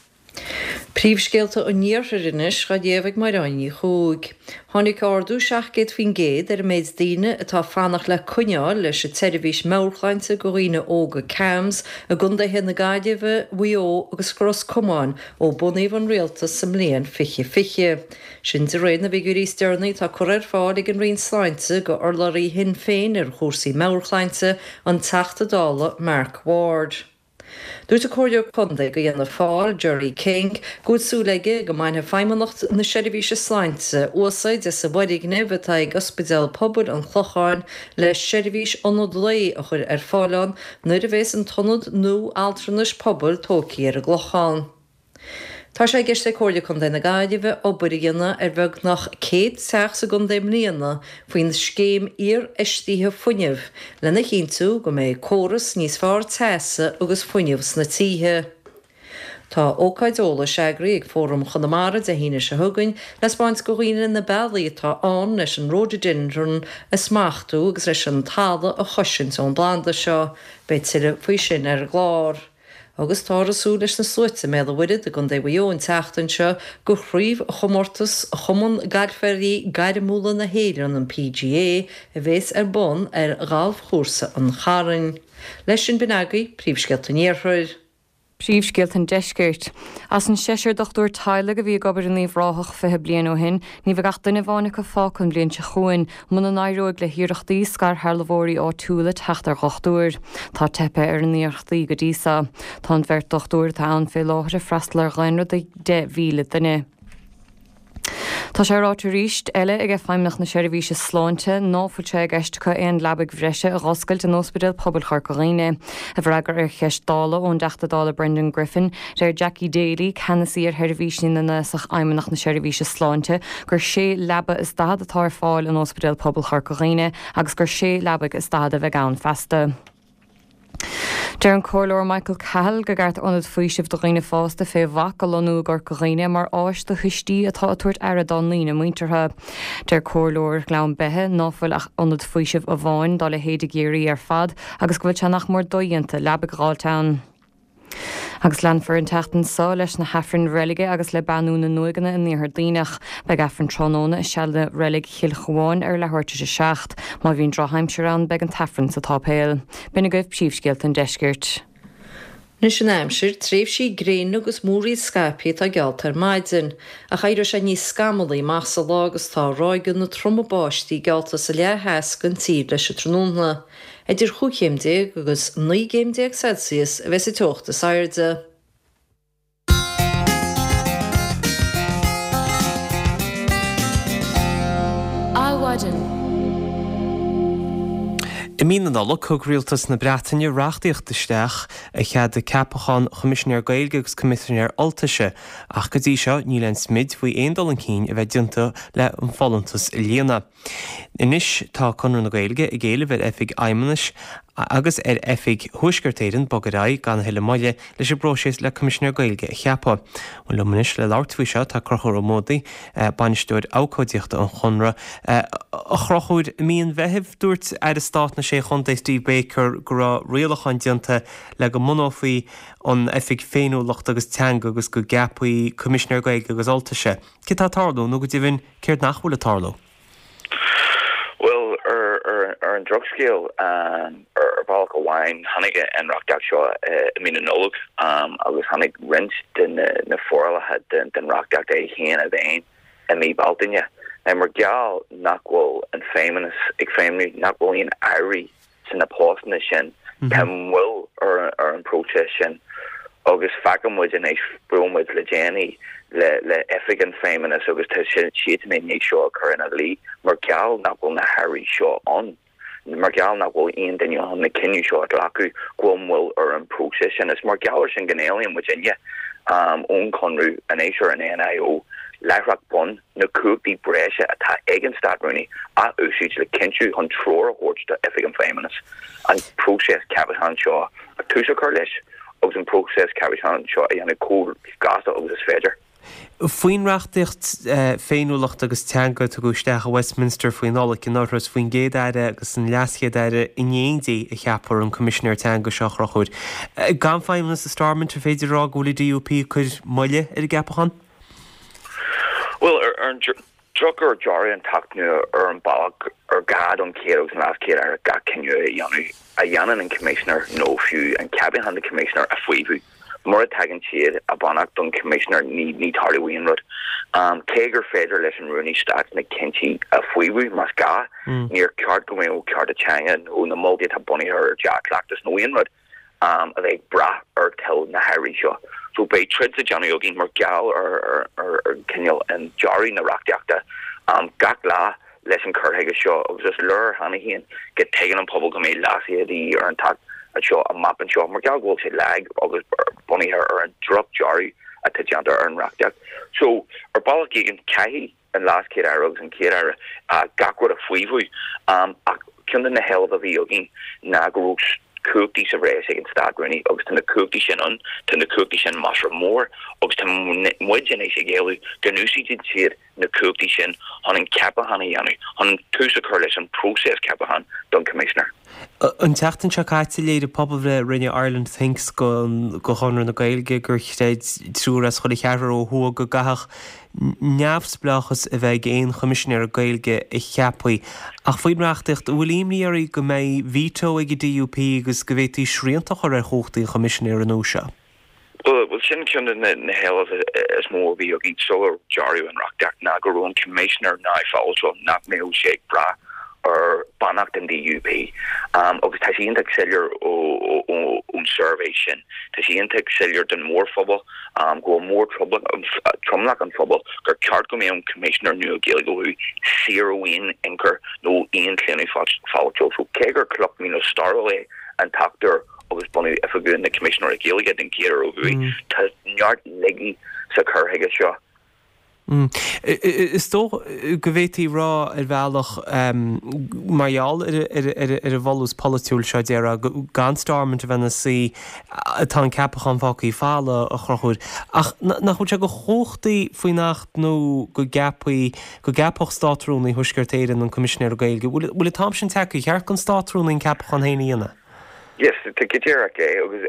Speaker 4: Príomhscéalta an Iarthair anois á léamh ag Máire Ní Chuaig. Tháinig ardú seacht gcéad faoin gcéad ar an méid daoine atá ag fanacht le coinne a fháil leis an tseirbhís meabhairshláinte do dhaoine óga CAMHS i gcontaetha na Gaillimhe, Mhaigh Eo agus Ros Comáin ó bunaíodh an rialtas sa mbliain fiche fiche. Sin de réir na bhfigiúirí is deireanaí atá curtha ar fáil ag an Roinn Sláinte go urlabhraí Shinn Féin ar chúrsaí meabhairshláinte, an Teachta Dála Mark Ward. Dúirt an Comhairleoir Contae do Fhianna Fáil, Gerry King, go bhfuil súil aige go mbainfidh Feidhmeannacht na Seirbhíse Sláinte úsáid as an bhfoirgneamh atá ag Ospidéal Pobail an Chlocháin le seirbhís ionad lae a chur ar fáil ann nuair a bheas an t-ionad nua altranais pobail tógtha ar an gClochán. Tá sé i gceist ag Comhairle Contae na Gaillimhe obair a dhéanamh ar bheagnach céad teach sa gcontae i mbliana faoin scéim iarfheistithe fuinnimh lena chinntiú go mbeidh córas níos fearr teasa agus fuinnimh sna tithe. Tá ócáid eolais eagraithe ag Fóram Chonamara Dé hAoine seo chugainn le 'spáint do dhaoine na bealaí atá ann leis an Rhododendron a smachtú agus leis an talamh a chosaint ón bplanda seo. Beidh tuilleadh faoi sin ar an gclár. Agus táthar ag súil leis na sluaite i mBéal an Mhuirthead i gContae Mhaigh Eo an tseachtain seo do chraobhchomórtas Chumann Gailfeoirí Gairmiúla na hÉireann, an PGA, a bheas ar bun ar Ghalfchúrsa an Chairn. Leis sin b'in agaibh príomhscéalta an Iarthair.
Speaker 5: Príomhscéalta an Deiscirt. As an seisear dochtúir teaghlaigh a bhí ag obair in Uíbh Ráthach fiche bliain ó shin, ní bheidh ach duine amháin acu fágtha an bhliain seo chugainn, muna n-éireoidh le hiarrachtaí scairshealbhóirí áitiúla teacht ar dhochtúir. Tá teipthe ar na hiarrachtaí go dtí seo. Tá an bheirt dochtúir atá ann fé láthair ag freastal ar dhaonra de deich mhíle duine. Tá sé ráite arís eile ag Feidhmeannacht na Seirbhíse Sláinte ná fuil sé i gceist acu aon leabaidh bhreise a dh'oscailt in Ospidéal Pobail Chorca Dhuibhne. I bhfreagra ar cheist Dála ón dTeachta Dála Brendan Griffin, deir Jackie Daly, Ceannasaí ar Sheirbhísí na nAosach Fheidhmeannacht na Seirbhíse Sláinte, gur sé leaba is daichead atá ar fáil in Ospidéal Pobail Chorca Dhuibhne agus gur sé leabaidh is daichead a bheidh ann feasta. Deir an Comhairleoir Michael Cahill gur cheart ionad faoisimh do dhaoine fásta fé bhac a lonnú i gCorca Dhuibhne mar áis do thuistí atá ag tabhairt aire dá ndaoine muinteartha. Deir Comhairleoir Ghleann Beithe ná fuil ach ionad faoisimh amháin dá leithéid i gCiarraí ar fad agus go bhfuil sé nach mór dodhéanta leabaidh a dh'fháilt ann. Agus leanfar an tseachtain seo leis na hAifrinn Reilige agus le beannú na n-uaigheanna in Iarthar Duibhneach. Beidh Aifreann tráthnóna i seana reilig Chill Chabháin ar leathuair tar éis a seacht. Má bhíonn drochaimsir ann beidh an tAifreann sa tsáipéal. B'in agaibh príomhscéalta an deiscirt.
Speaker 4: Anois an aimsir, tréimhsí gréine agus múraíl scaipthe atá geallta ar maidin, ach éireoidh sé níos scamallaí amach sa lá agus tá ráigeanna troma báistí geallta sa leath theas den tír leis an tráthnóna. Idir chúig chéim déag agus naoi gcéim déag Celsius a bheas an teocht is airde.
Speaker 1: Adhmhaidin. I mí na Nollag, thug rialtas na Breataine reachtaíocht isteach a cheadaigh ceapachán Choimisinéir Gaeilge agus Coimisinéir Ultaise, ach go dtí seo níl aon smid faoi aon dul chun cinn a bheith déanta le an folúntas a líonadh. Anois tá Conradh na Gaeilge ag éileamh ar Oifig Fheidhmeannais agus ar Oifig Thuaisceart Éireann bogadh ar aghaidh gan a thuilleadh moille leis an bpróiseas le Coimisinéir Gaeilge a cheapadh. Bhuel liom anois le labhairt faoi seo tá Conchúr Ó Muadaigh, Bainisteoir Abhcóideachta an Chonradh. A Chonchúir, i mí an Mheithimh dúirt Aire Stáit na Sé Chontae Steve Baker go raibh rialacháin déanta le go mbunófaí an Oifig Féiniúlachta agus Teanga agus go gceapfaí Coimisinéir Gaeilge agus Ultaise. Céard atá ag tarlú nó go deimhin céard nach bhfuil ag tarlú?
Speaker 11: Bhuel, ar an drochscéal, ar bhealach amháin, tháinig an reachtaíocht seo i mí na Nollag agus tháinig roinnt de na forálacha den reachtaíocht é féin i bhfeidhm i mí Bealtaine. Now, mar gheall nach bhfuil an Feidhmeannas ag feidhmiú, nach bhfuil aon airí sna postanna sin, tá moill ar an bpróiseas sin agus feiceann muid anois, bhuail muid le déanaí le le oifig an Feidhmeannas agus tá siadsan i ndiaidh seo a chur ina luí mar gheall nach bhfuil na hairí seo ann, mar gheall nach bhfuil aon duine chun na cinneadh seo a ghlacadh, go bhfuil moill ar an bpróiseas sin. Is mar gheall ar sin go n-éilíonn muidinne ón Chonradh anois ar an NIO láithreach bonn na cumhachtaí breise atá ag an Stát-Rúnaí a úsáid le cinntiú chun treoir a thabhairt do Oifig an Feidhmeannas an próiseas ceapacháin seo a tús a chur leis agus an próiseas ceapacháin seo a dhéanamh chomh gasta agus is féidir.
Speaker 1: Faoin reachtaíocht féiniúlachta agus teanga a tugadh isteach i Westminster faoi Nollaig anuraidh, is faoin gCéad-Aire agus an LeasChéad-Aire in éindí a cheapfar an Coimisinéir Teanga seo, a Chonchúir. Gan feidhmeannas i Stormont, an féidir a rá go bhfuil an DUP ag cur moille ar an gceapachán?
Speaker 11: Bhuel, ar an drochuair dearadh an tAcht nua ar an bealach ar gá don Chéad agus an LeasChéad-Aire gach cinneadh a dhéanamh a dhéanann an Coimisinéir nó fiú an ceapachán don Choimisinéir a fhaomhadh. Mura dtugann siad a mbeannacht don Choimisinéir ní ní tarlóidh aon rud. Cé gur féidir leis an Rúnaí Stáit na cinntí a fhaomhadh más gá, níor cheart go mbeadh cearta teanga nó na moltaí atá bunaithe ar dea-chleachtas nó aon rud a bheith ag brath ar toil na hairí seo. So beidh troid le déanamh againn mar gheall ar ar an cineál an dearadh na reachtaíochta gach lá leis an cur chuige seo agus is léir cheana féin go dtuigeann an pobal go mbeidh leasuithe de dhíth ar an tAcht seo amach anseo mar gheall go bhfuil sé lag agus bunaithe ar an droch-dearadh atá déanta ar an reachtaíocht. So ar bealach éigin caithfidh an LeasChéad-Aire agus an Chéad-Aire gach rud a fhaomhadh. Ach ceann de na héilimh a bhí againn ná go raibh cumhachtaí sa bhreis ag an Stát-Rúnaí agus tá na cumhachtaí sin ann, tá na cumhachtaí sin measartha mór agus tá muid anois ag éileamh go n-úsáideann siad na cumhachtaí sin chun an ceapachán a dhéanamh, chun tús a chur leis an bpróiseas ceapacháin don Choimisinéir.
Speaker 1: An tseachtain seo caite léirigh pobalbhreith a rinne Ireland Thinks do Chonradh na Gaeilge gur chreid triúr as chuile cheathrar ó thuaidh go gcaithfeadh neamhspleáchas a bheith ag aon Choimisinéir Gaeilge a cheapfaí. Ach faoin reachtaíocht, an bhfuil imní oraibh go mbeidh veto ag an DUP agus go bhféadfaí srianta a chur ar chumhachtaí an Choimisinéara nua seo?
Speaker 11: Bhuel, sin ceann de na héilimh is mó a bhí againn sular dearadh an reachtaíocht, ná go raibh an Coimisinéir neamhpholaitiúil, nach mbeadh sé ag brath ar beannacht an DUP. Agus tá sé iontach soiléir ón suirbhé sin, tá sé iontach soiléir don mhórphobal, go bhfuil mór-tromlach an phobail gur ceart go mbeadh an Coimisinéir nua Gaeilge ó thuaidh saor ó aon ionchur nó aon chlaonadh pholaitiúil. So cé gur cloch míle stairiúil é an tAcht úr, agus bunú oifigiúil na Coimisinéirí Gaeilge den chéad uair ó thuaidh. Tá neart laigí sa chur chuige seo.
Speaker 1: Is dóigh go bhféadfaí a rá ar bhealach, mar gheall ar an bhfolús polaitiúil seo, déarfá, gan Stormont a bheith ina suí, tá an ceapachán fágtha folamh, a Chonchúir. Ach nach bhfuil sé de chumhachtaí faoin Acht nua go gceapfaí, go gceapfadh Státrúnaí Thuaisceart Éireann an Coimisinéir Gaeilge? Bhfuil an t-am sin tagtha? Ar cheart don Státrúnaí an ceapachán féin a dhéanamh?
Speaker 11: Yes, go díreach é, agus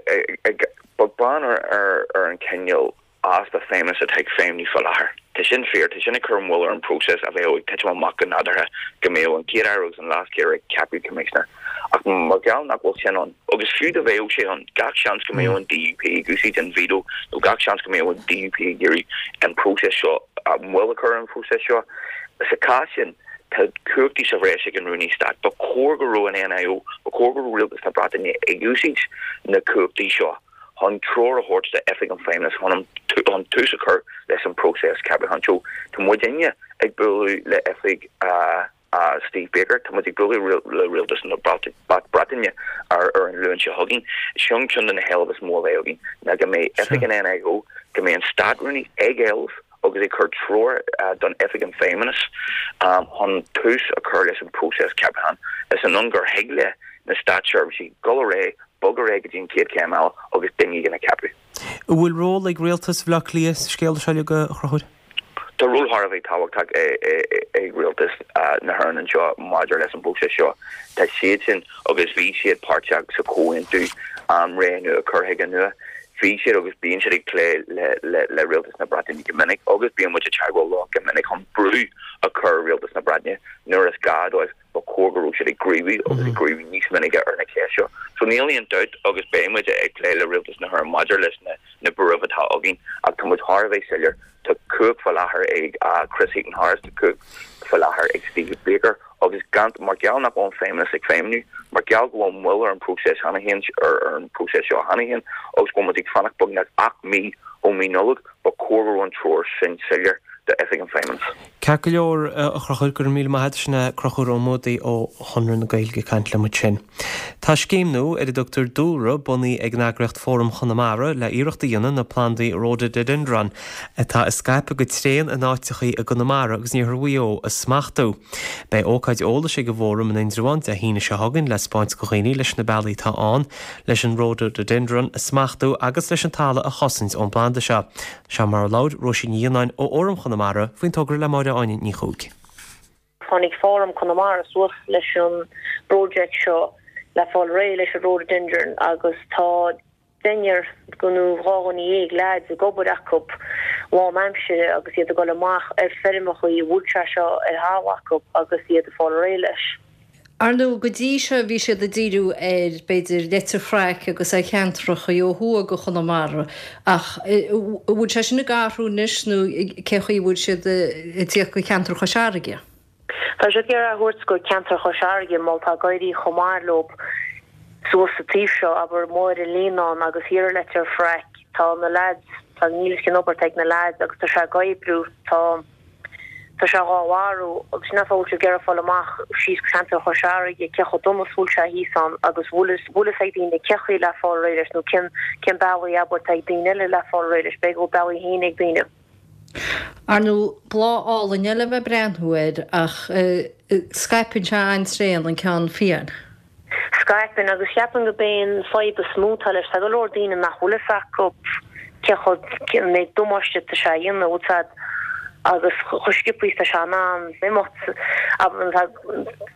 Speaker 11: beag beann ar an cineál easpa feidhmeannas atá ag feidhmiú faoi láthair. Tá sin fíor, tá sin ag cur moill ar an bpróiseas a bheadh ag titim amach go nádúrtha go mbeadh an Chéad-Aire agus an LeasChéad-Aire ag ceapadh Coimisinéir. Ach mar gheall nach bhfuil sin ann, agus fiú dá bheadh sé ann, gach seans go mbeadh an DUP ag úsáid an veto nó gach seans go mbeadh an DUP ag iarraidh an próiseas seo, moill a chur ar an phróiseas seo. Sa chás sin, Tá cumhachtaí sa bhreis ag an Rúnaí Stáit. Ba chóir go raibh an NIO, ba chóir go raibh Rialtas na Breataine ag úsáid na cumhachtaí seo chun treoir a thabhairt d'Oifig an Feidhmeannais chun chun tús a chur leis an bpróiseas ceapacháin. So tá muidinne ag bualadh le oifig Steve Baker, tá muid ag bualadh le Rialtas na Breataine ar an Luan seo chugainn. Sin ceann de na héilimh is mó a bheidh againn, ná go mbeidh oifig an NIO, go mbeidh an Státrúnaí ag éileamh, agus ag cur treoir don Oifig an Feidhmeannas chun tús a chur leis an bpróiseas ceapacháin. Is ionann gur thig le na státseirbhísigh dul ar aghaidh, bogadh ar aghaidh go dtí an chéad chéim eile agus duine éigin a cheapadh.
Speaker 1: An bhfuil ról ag Rialtas Bhaile Átha Cliath sa scéal seo uilig, a Chonchúir?
Speaker 11: Tá ról thar a bheith tábhachtach ag Rialtas na hÉireann anseo maidir leis an bpróiseas seo. Tá siadsan agus bhí siad páirteach sa chomhaontú Ré Nua, Cur Chuige Nua. Bhí siad agus bíonn siad ag plé le Rialtas na Breataine go minic agus bíonn muid i dteagmháil leo go minic chun brú a chur ar Rialtas na Breataine nuair is gá dóibh. Ba chóir go raibh siad ag gníomhú agus ag gníomhú níos minice ar na ceist seo. So níl aon dabht agus beidh muid ag plé le Rialtas na hÉireann maidir leis na buairimh atá againn ach tá muid thar a bheith soiléir, tá cumhacht faoi láthair ag Chris Heaton-Harris, tá cumhacht faoi láthair ag Steve Baker. Agus gan, mar gheall nach bhfuil an Feidhmeannas ag feidhmiú, mar gheall go bhfuil moill ar an bpróiseas cheana féin, ar an bpróiseas seo cheana féin, agus go bhfuil muid ag fanacht beagnach ocht mí ó mí Nollag, ba chóir go raibh an treoir sin soiléir d'Oifig an Feidhmeannais.
Speaker 1: Ceart go leor, a Chonchúir, go raibh míle maith agat. Sin é Conchúr Ó Muadaigh ó Chonradh na Gaeilge ag caint liom ansin. Tá scéim nua ar a dtugtar Dúlra bunaithe ag an eagraíocht Fóram Chonamara le iarracht a dhéanamh na plandaí Rhododendron atá ag scaipeadh go tréan in áiteachaí i gConamara agus in iarthar Mhaigh Eo a smachtú. Beidh ócáid eolais ag an bhFóram in Indreabhán Dé hAoine seo chugainn le 'spáint go dhaoine leis na bealaí atá ann leis an Rhododendron a smachtú agus leis an talamh a chosaint ón bplanda seo. Seo mar a labhair Róisín Ní Fhionnáin ó Fhóram Chonamara faoin togra le Máire Áine Ní Chuaig.
Speaker 12: Tháinig Fóram Chonamara suas leis an bproject seo le fáil réidh leis an rhododendron agus tá deichniúr go nó dhá dhuine dhéag leaids ag obair acu lán aimsire agus iad ag dul amach ar feirmeachaí a bhfuil sé seo ar thalamh acu agus iad ag fáil réidh leis.
Speaker 4: Ar ndóigh, go dtí seo bhí siad ag díriú ar, b'fhéidir, Leitir Fraic agus ar cheantracha ó thuaidh go Chonamara, ach an bhfuil sé sin ag athrú anois nó cé chaoi a bhfuil siad ag tíocht go ceantar Chois Fharraige?
Speaker 12: Tá siad ag iarraidh a thabhairt go ceantar Chois Fharraige mar tá ag éirí chomh maith leo suas sa taobh seo, abair, Machaire Líonáin agus thiar i Leitir Fraic. Tá na leaids, tá, níl 'fhios cén obair atá ag na leaids agus tá sé ag oibriú, tá. Tá sé dhá mharú agus sin an fáth a bhfuil siad ag iarraidh fáil amach síos go ceantar Chois Fharraige cé chomh dona is bhfuil sé thíos ann agus bhfuil bhfuil fhios ag daoine cé chaoi le fáil réidh leis nó cén cén bealaí abair atá ag daoine eile le fáil réidh leis, b'fhéidir go bhfuil bealaí féin ag daoine.
Speaker 4: Ar ndóigh, bláth álainn é le bheith ag breathnú air ach scaipeann sé an-tréan an ceann fiáin.
Speaker 12: Scaipeann, agus cheapfainn go b'é an fadhb is mó atá leis, tá go leor daoine nach bhfuil fhios acu cé chomh, cén méid damáiste atá sé a dhéanamh, bhfuil 'fhios a'd, agus chomh sciobtha is tá sé in ann imeacht,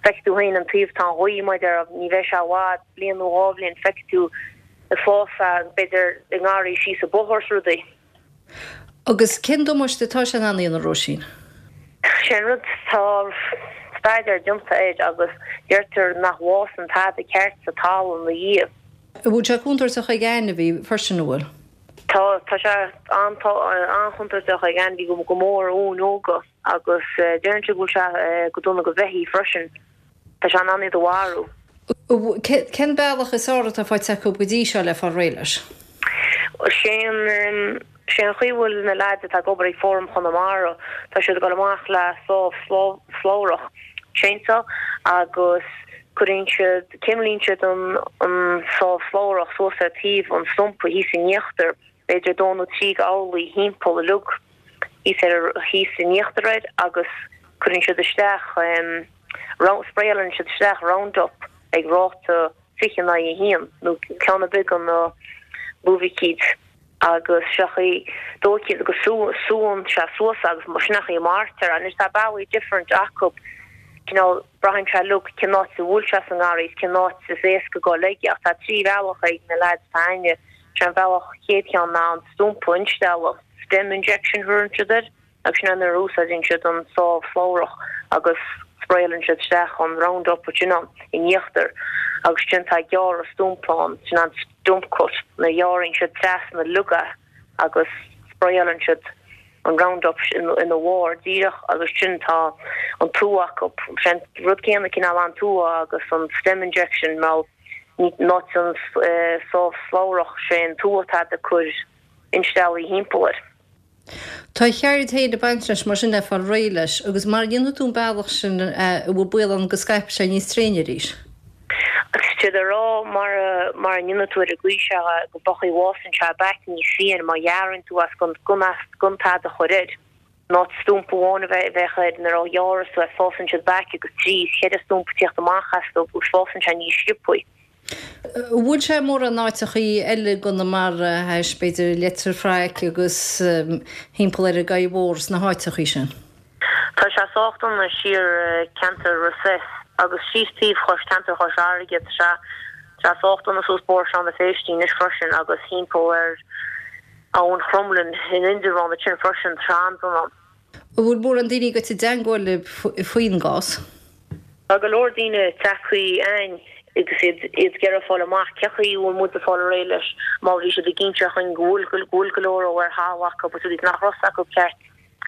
Speaker 12: feicfidh tú féin an taobh atá an ghaoth, mar a déarfá, ní bheidh sé i bhfad, bliain nó dhá bhliain, feicfidh tú ag fás é, b'fhéidir i ngarraí síos an bóthar is rudaí.
Speaker 4: Agus cén damáiste atá sé in ann a dhéanamh, Róisín?
Speaker 12: Sé an rud, tá staidéar déanta air agus deirtear nach bhfásann tada ceart sa talamh ina dhiaidh.
Speaker 4: An bhfuil sé contúirteach ag ainmhí freisin, an bhfuil?
Speaker 12: Tá, tá sé an-chontúirteach ag ainmhí, go mór uain óga agus deireann siad go bhfuil sé go dona go bheithígh freisin. Tá sé in ann iad a mharú.
Speaker 4: Cén bealach is fearr atá faighte acu go dtí seo le fáil réidh leis?
Speaker 12: Sé an sé an chaoi a bhfuil na leaids atá ag obair ag Fóram Chonamara, tá siad ag dul amach le sábh slabhrach, chainsaw, agus cuireann siad, cuimlíonn siad an an sábh slabhrach suas ar taobh an stumpa thíos in íochtar, b'fhéidir dó nó trí d'orlaí thimpeall uilig thíos ar thíos in íochtar air agus cuireann siad isteach round, spraeálann siad isteach Roundup ag ráta fiche in aghaidh a haon nó ceann ar bith de na luibhicíd agus sé an chaoi dóichí go súnn sé suas agus sin an chaoi a maraítear é. Anois tá bealaí different acu, cineál braitheann sé uilig cén áit a bhfuil sé sa ngarraí is cén áit is éasca dul aige ach tá trí bhealach ag na lads atá a'inne, sé an bealach chéad cheann ná an stumpa a instealladh, stem injection a thugann siad air. Agus sin é nuair a úsáideann siad an sábh slabhrach agus spraeálann siad isteach an Roundup sin ann in íochtar agus sin tá gearradh stumpa ann, sin an stump cut, nuair a ghearrann siad trasna uilig é agus spraeálann siad an Roundup ina bharr díreach agus sin tá an tua acu, sin rud céanna cineál an tua agus an stem injection mar ní in áit an sábh slabhrach sé an tua atá ag cur insteallaí thimpeall air.
Speaker 4: Tá a cheird féin ag baint leis mar sin le fáil réidh leis agus mara ndéanfaidh tú an bealach sin an bhfuil baol ann go scaipfidh sé níos tréine arís.
Speaker 12: Tá siad ag rá mara mara ndéanfaidh tú ar an gcaoi seo go b'é an chaoi a bhfásann sé back níos fiáine má ghearrann tú as gan gan as gan tada a chur air. In áit stumpa amháin a bheith bheith air nuair a ghearras tú é fásann siad back agus trí is ceithre stumpa ag tíocht amach astu agus fásann sé níos sciobthaí.
Speaker 4: An bhfuil sé mórán áiteachaí eile i gConamara théis, b'fhéidir, Leitir Fraic agus thimpeall ar an gCaí Mhór sna háiteachaí sin?
Speaker 12: Tá sé sách dona siar ceantar Ros agus síos taobh chois ceantar Chois Fharraige. Tá sé tá sé sách dona suas Bóthar Sheáin na Phéistí anois freisin agus thimpeall ar Abhainn Chromghlinne in Indreabhán ansin freisin. Tá sé an-dona.
Speaker 4: An bhfuil mórán daoine ag goil i dteangmháil libh faoin gcás?
Speaker 12: Tá go leor daoine tagtha a'ainn agus iad ag iarraidh fáil amach cé chaoi a bhfuil muid ag fáil réidh leis mar bhí siad ag inse chugainn go bhfuil go bhfuil go leor ar thalamh acu agus rudaí nach raibh 'fhios acu ceart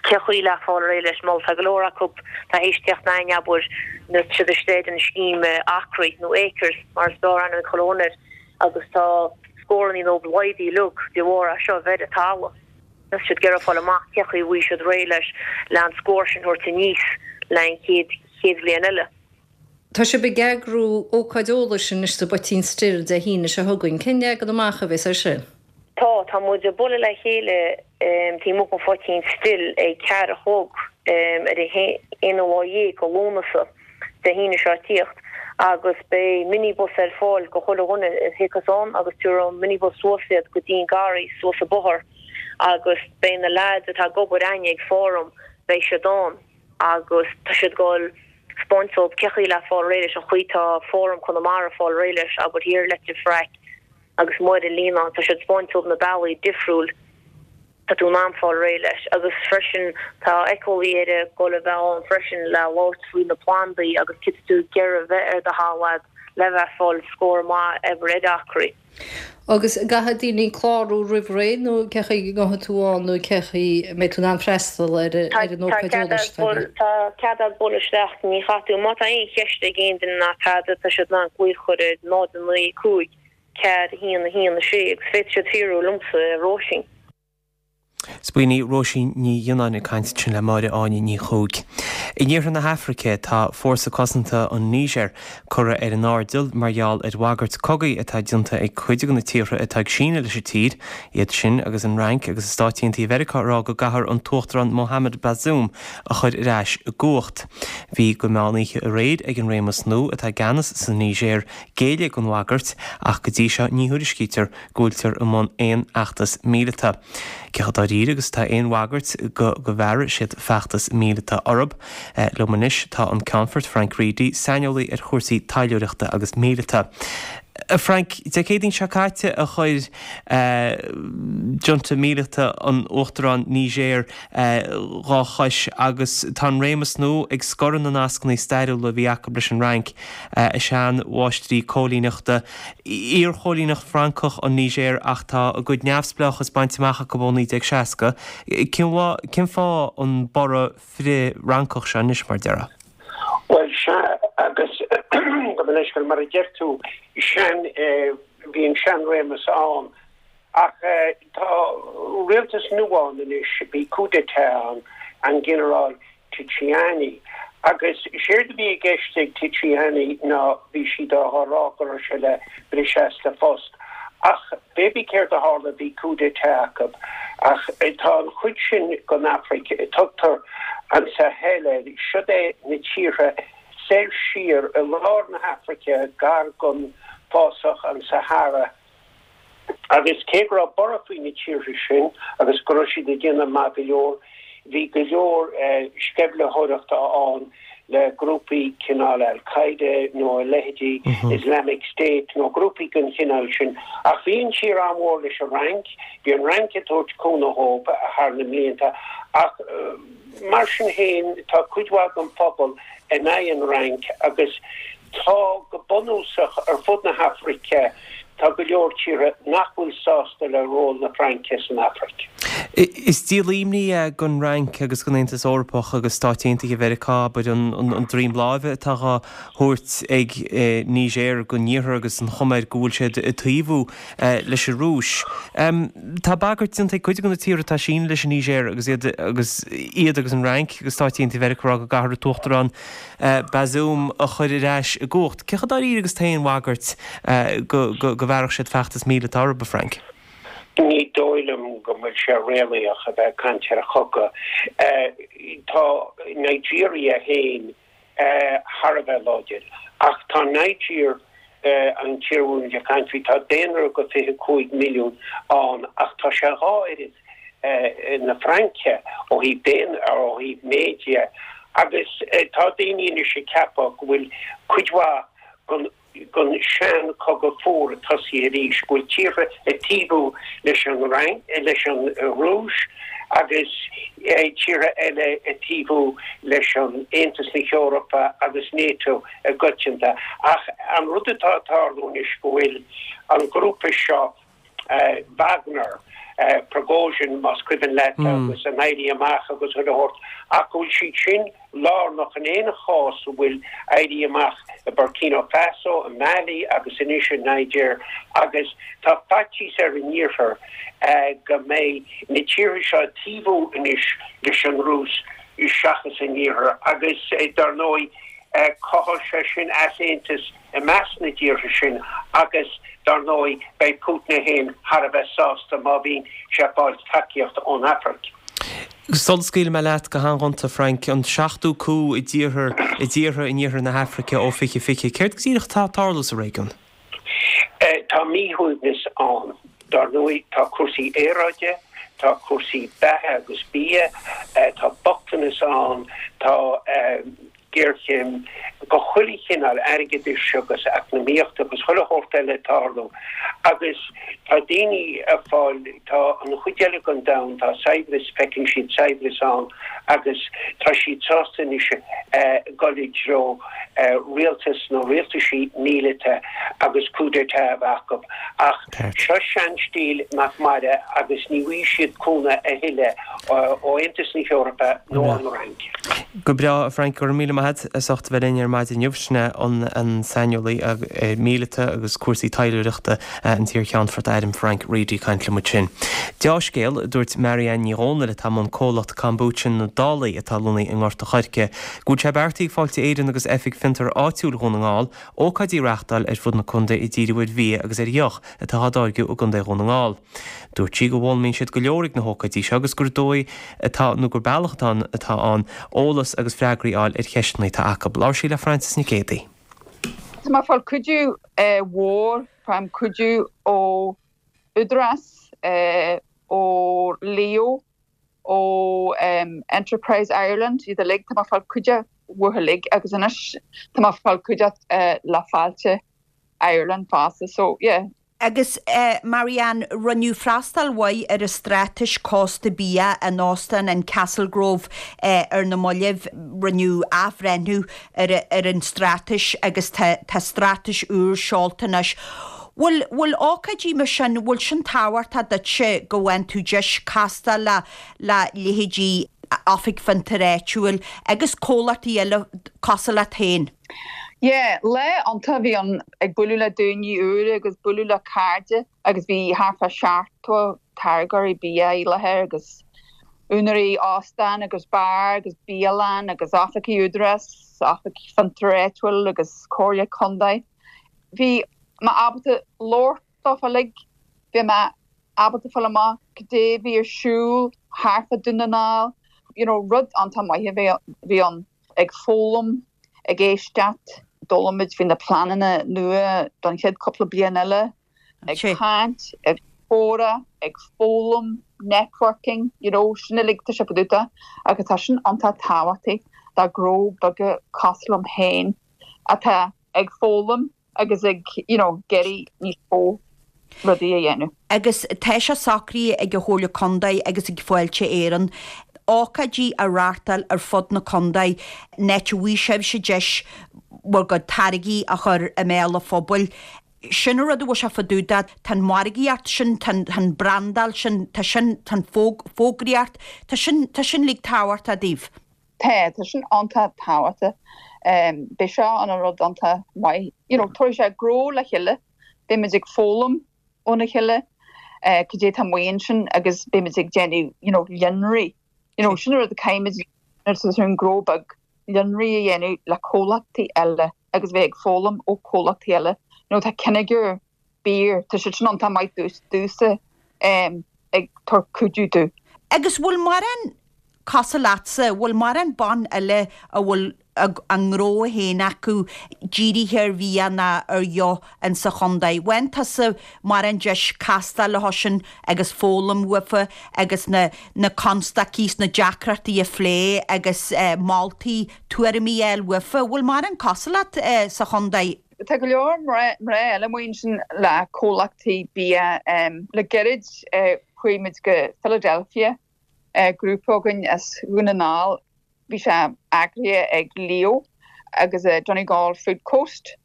Speaker 12: cé chaoi le fáil réidh leis mar tá go leor acu tá théis teacht a'ainn abair nuair tá siad istigh ar an scéim acraí nó acres mar is fearr aithne ag chuile dhuine air agus tá scórannaí nó laghdaithe uilig de bharr é seo a bheith ar an talamh. Tá siad ag iarraidh fáil amach cé chaoi a bhfaighidh siad réidh leis le an scór sin thabhairt aníos le an chéad chéad bhliain eile.
Speaker 4: Tá sibh ag eagrú ócáid eolais anois sa bPoitín Stil Dé hAoine seo chugainn. Cén leagan amach a bheas air sin?
Speaker 12: Tá, tá muid ag bualadh le chéile taobh amuigh den Phoitín Stil ag ceathair a chlog ar an aonú lá dhéag de Lúnasa, Dé hAoine seo ag tíocht, agus beidh minibus ar fáil go chuile dhuine a thiocfas ann agus tabharfaidh an minibus suas iad go dtí an garraí suas an bóthar agus beidh na leaids atá ag obair againne ag Fóram, beidh siad ann agus tá siad ag dul 'spáint dóibh cé chaoi le fáil réidh leis an chaoi tá Fóram Chonamara fáil réidh leis, abair thiar i Leitir Fraic agus Máire Líonán, tá siad 'spáint dóibh na bealaí difriúil tá tú in ann fáil réidh leis agus freisin tá Éiceolaí Éire ag dul a bheith ann freisin le labhairt faoi na plandaí agus céard tá tú ag iarraidh a bheith ar do thalamh a'd le bheith ag fáil scór maith abair ar acraí.
Speaker 4: Agus an gcaithfidh daoine clárú roimh ré nó cé chaoi a ngabhfaidh tú ann nó cé chaoi a mbeidh tú in ann freastal ar an ócáid eolais atá agaibh?
Speaker 12: Tá cead a'd bualadh isteach, ní chaithfidh tú, má tá aon cheist ag aon duine ná tada, tá siad in ann glaoch a chur ar náid a naoi cúig ceathair a haon a haon a sé agus féadfaidh siad fiafraí liomsa, Róisín.
Speaker 1: 'S b'in í Róisín Ní Ghionnáin ag caint ansin le Máire Áine Ní Chuaig. In iarthar na hAfraice tá Fórsa Cosanta an Nígir curtha ar an airdeall mar gheall ar bhagairt cogaidh atá déanta ag cuid de na tíortha atá ag síneadh leis an tír, iad sin agus an Fhrainc agus Stáit Aontaithe Mheiriceá ag rá go gcaithfear an tUachtarán Mohamed Bazoum a chur ar ais i gcumhacht. Bhí go meán oíche aréir ag an réimeas nua atá i gceannas sa Nígéir géilleadh don bhagairt ach go dtí seo ní thuairiscítear go bhfuiltear i mbun aon fheachtas míleata. Cé chomh dáiríre agus atá aon bhagairt go go bhfearfaidh siad feachtas míleata orthu? Liom anois tá an Ceannfort Frank Reidy, saineolaí ar chúrsaí taidhleoireachta agus míleata. A Frank, Dé Céadaoin seo caite a chuir junta míleata an Uachtaráin Nígéir dhá chois agus tá an réimeas nua ag scoradh na nascanna stairiúla a bhí acu leis an Fhrainc, a sean-mháistrí cóilíneachta. Iar-chóilíneacht Francach an Nígéir ach tá a gcuid neamhspleáchas bainte amach acu ó naoi déag seasca. Cén fáth an borradh frith-Fhrancach seo anois, mar déarfá?
Speaker 13: Bhuel, sea, agus gabh mo leithscéal, mar a deir tú, sean, bhí an sean-réimeas ann, ach tá rialtas nua ann anois, bhí coup d'état ann, an Ginearál Tchiani. Agus séard a bhí i gceist ag Tchiani ná bhí siad á rá go raibh sé le briseadh as a phost. Ach pé bith céard a tharla bhí coup d'état acu. Ach tá an chuid sin den Afraic, tugtar an Sahel air, siod é na tíortha soir siar i lár na hAfraice gar don fásach an Sahara. Agus cé go raibh borradh faoi na tíortha sin agus go raibh siad ag déanamh maith go leor, bhí go leor sceimhlitheoireachta ann le grúpaí cineál Al Qaeda nó a leithéidí, Islamic State nó grúpaí den chineál sin. Ach bhí an tír an-mhór leis an Fhrainc, bhí an Fhrainc ag tabhairt cúnamh dhóibh thar na mblianta ach mar sin féin tá cuid mhaith den phobal in aghaidh an Fhrainc agus tá go bunúsach ar fud na hAfraice tá go leor tíortha nach bhfuil sásta le ról na Fraince san Afraic.
Speaker 1: Is díol imní é don Fhrainc agus don Aontas Eorpach agus Stáit Aontaithe Mheiriceá, abair, an droim láimhe atá á thabhairt ag Niger don Iarthar agus an chuma air go bhfuil siad ag taobhú leis an Rúis. Tá bagairt déanta ag cuid de na tíortha atá ag síneadh leis an Niger agus iad agus iad agus an Fhrainc agus Stáit Aontaithe Mheiriceá ag rá go gcaithfear an tUachtarán Bazoum a chur ar ais i gcumhacht. Cé chomh dáiríre agus tá aon bhagairt go bhfearfadh siad feachtas míleata orthu, a Frank?
Speaker 13: Ní dóigh liom go bhfuil sé réalaíoch a bheith ag caint ar chogadh. Tá Nigeria féin thar a bheith láidir, ach tá Niger, an tír a bhfuil muid ag caint faoi, tá daonra go fiche cúig milliún ann ach tá sé dhá oiread na Fraince ó thaobh daonra, ó thaobh méid dhe, agus tá daoine anois ag ceapadh go bhfuil cuid mhaith den den sean-chogadh fuar tosaithe arís, go bhfuil tíortha ag taobhú leis an Fhrainc, leis an Rúis agus tíortha eile ag taobhú leis an Aontas na hEorpa agus NATO i gcoitianta. Ach an rud atá ag tarlú anois go bhfuil an grúpa seo, Wagner, Prigozhin, más cuimhin leat, agus an Éirí Amach agus chuile shórt, ach go bhfuil siad sin lárnach in aon chás a bhfuil éirí amach i Burkina Faso, i Mali agus anois i Niger agus tá faitíos ar an Iarthar go mbeidh na tíortha seo ag taobhú anois leis an Rúis seachas an Iarthar agus dar ndóigh cothóidh sé sin easaontas i measc na dtíortha sin agus dar ndóigh beidh Putin é féin thar a bheith sásta má bhíonn sé ag fáil tacaíocht ón Afraic.
Speaker 1: Sula scaoilfidh mé leat go han-ghonta, Frank, an seachtú coup i dtíortha i dtíortha in iarthar na hAfraice ó fiche fiche, céard go díreach atá ag tarlú sa réigiún?
Speaker 13: Tá míshuaimhneas ann. Dar ndóigh tá cúrsaí aeráide, tá cúrsaí beatha agus bia, tá bochtanas ann, tá géarchéim de chuile chineál airgeadais agus eacnamaíochta agus chuile shórt eile ag tarlú agus tá daoine ag fáil, tá an chuid eile den domhan, tá saibhreas, feiceann siad saibhreas ann agus tá siad sásta anois dul i dtreo rialtas nó rialtaisí míleata agus coup d'état a bheith acu. Ach seo seanstíl nach mairfidh agus ní bhfaighidh siad cúnamh a thuilleadh ó Aontas na hEorpa nó ón Fhrainc.
Speaker 1: Go breá, a Frank, go raibh míle maith agat as ucht a bheith linn ar maidin inniu. Sin é an saineolaí míleata agus cúrsaí taidhleoireachta an t-iarcheannfort airm Frank Reidy ag caint liom ansin. Deá-scéal, a dúirt Marianne Ní Dhomhnaill atá i mbun comhlacht Kombucha na Dálaí atá lonnaithe i nGort a' Choirce, go bhfuil sé beartaithe ag Fáilte Éireann agus Oifig Fiontar Áitiúil Dhún na nGall ócáidí a reáchtáil ar fud na contae ag díriú ar bhia agus ar dheoch atá á dtáirgeadh i gContae Dhún na nGall. Dúirt sí go bhfoghlaimíonn siad go leor ag na hócáidí seo agus gur dóigh atá nó gur bealach atá atá ann eolas agus freagraí a fháil ar cheisteanna atá acu. Labhair sí le Frances Nic Géadaigh.
Speaker 14: Tá mé ag fáil cuidiú mhór, faighim cuidiú ó Údarás, ó Leo, ó Enterprise Ireland, iad uilig, tá mé ag fáil cuidiú uathu uilig agus anois tá mé ag fáil cuidiú le Fáilte Ireland fosta so yeah.
Speaker 15: Agus Marianne, rinneadh freastal mhaith ar an straitéis Cósta Bia in Óstán an Castlegrove ar na mallaibh. Rinneadh athbhreithniú ar ar an straitéis agus tá tá straitéis úr seolta anois. Bhfuil bhfuil ócáidí mar sin, bhfuil sin tábhachtach duitse go bhfaigheann tú deis castáil le le leithéidí Oifig Fiontair Áitiúil agus comhlachtaí eile cosúil leat féin?
Speaker 14: Yeah, lá iontach a bhí ann ag bualadh le daoine úra agus bualadh le cairde agus bhí thart fá seachtó táirgeoirí bia i láthair agus úinéirí óstán agus beár agus bialann agus oifigí Údarás, Oifig Fiontair Áitiúil agus Comhairle Contae. Bhí mé ábalta labhairt leo uilig, bhí mé ábalta fáil amach cad é a bhí ar siúl thart fá Dún na nGall, you know, rud iontach maith a bhí ann. Ag foghlaim, ag éisteacht, d'fhoghlaim muid faoi na pleananna nua don chéad cúpla bliain eile, ag caint, ag comhrá, ag foghlaim, networking, you know, sin uilig tá sé fadúta agus tá sin iontach tábhachtach do ghnó beaga cosúil liom féin atá ag foghlaim agus ag you know iarraidh níos mó rudaí a dhéanamh.
Speaker 15: Agus tá sé socraithe ag an Chomhairle Contae agus ag Fáilte Éireann ócáidí a reáchtáil ar fud na contae in áit a bhfaighidh sibhse deis bhur gcuid táirgí a chur i mbéal an phobail. Sin an rud a bhfuil sé fá dtaobh de, tá an mhargaíocht sin, tá an brandáil sin, tá sin, tá an fógraíocht, tá sin, tá sin uilig tábhachtach daoibh.
Speaker 14: Tá, tá sin iontach tábhachtach. Beidh seo ina rud iontach maith. You know, tabharfaidh sé gnó le chéile, beimid ag foghlaim óna chéile cad é atá amuigh ansin agus beimid ag déanamh, you know, líonraí. You know, sin an rud a caithfimid nuair atá tú i ngnó beag, líonraí a dhéanamh le comhlachtaí eile agus bheith ag foghlaim ó chomhlachtaí eile. You know, tá Kinnegar Beer, tá siad sin iontach maith domhsa ag tabhairt cuidiú domh.
Speaker 15: Agus bhfuil mórán cosúil leatsa, bhfuil mórán ban eile a bhfuil a ngnó féin acu dírithe ar bhia ná ar dheoch insa chontae. Bhfaigheann tusa mórán deis castáil leo sin agus foghlaim uafa agus na na constaicí 's na deacrachtaí a phlé agus moltaí, tuairimí a fháil uafa. Bhfuil mórán cosúil leat sa chontae?
Speaker 14: Tá go leor mná eile amuigh ansin le comhlachtaí bia. Le gairid chuaigh muid go Philadelphia grúpa againn as Dhún na nGall. Bhí sé eagraithe ag Leo agus Donegal Food Coast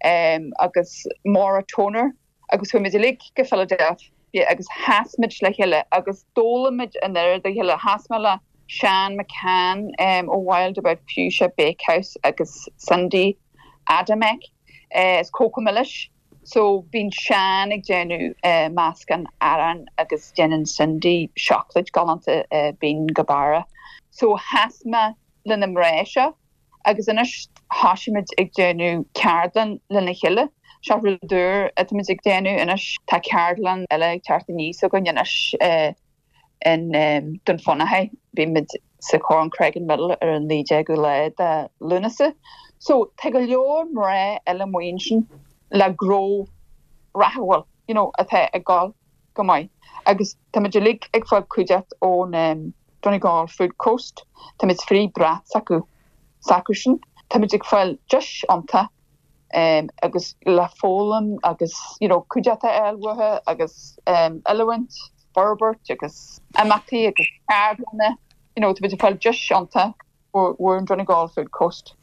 Speaker 14: agus Maura Toner agus chuaigh muid uilig go Philadelphia Yeah, agus sheas muid le chéile agus d'fhoghlaim muid an oiread a chéile. Sheas mé le Sean McCann um, ó Wild About Fuchsia Bakehouse agus Cindy Adamek uh, is Cóca Milis. So bíonn Sean ag déanamh uh, meascán arán agus déanann Cindy seacláid galánta uh, bíonn go barra. So sheas mé le na mná seo agus anois táimid ag déanamh ceardlann lena chéile. Seo rud úr atáimid ag déanamh anois tá ceardlann eile ag teacht aníos againn anois uh, in um, Dún Fionnachaidh bímid sa Corncraigan Middle ar an naoi déag lá de Lúnasa. So tá go leor mná eile amuigh ansin le gnó rathúil you know, atá ag gabháil go maith. Agus táimid uilig ag fáil cuideachta ón um, Donegal Food Coast, Táimid faoi bhrat s'acu s'acusan, Táimid ag fáil deis iontach um, agus le foghlaim agus you know, cuideachta a fháil uathu agus um, oiliúint, forbairt agus imeachtaí agus ceardlanna, you know, táimid ag fáil deis iontach ó an Donegal Food Coast.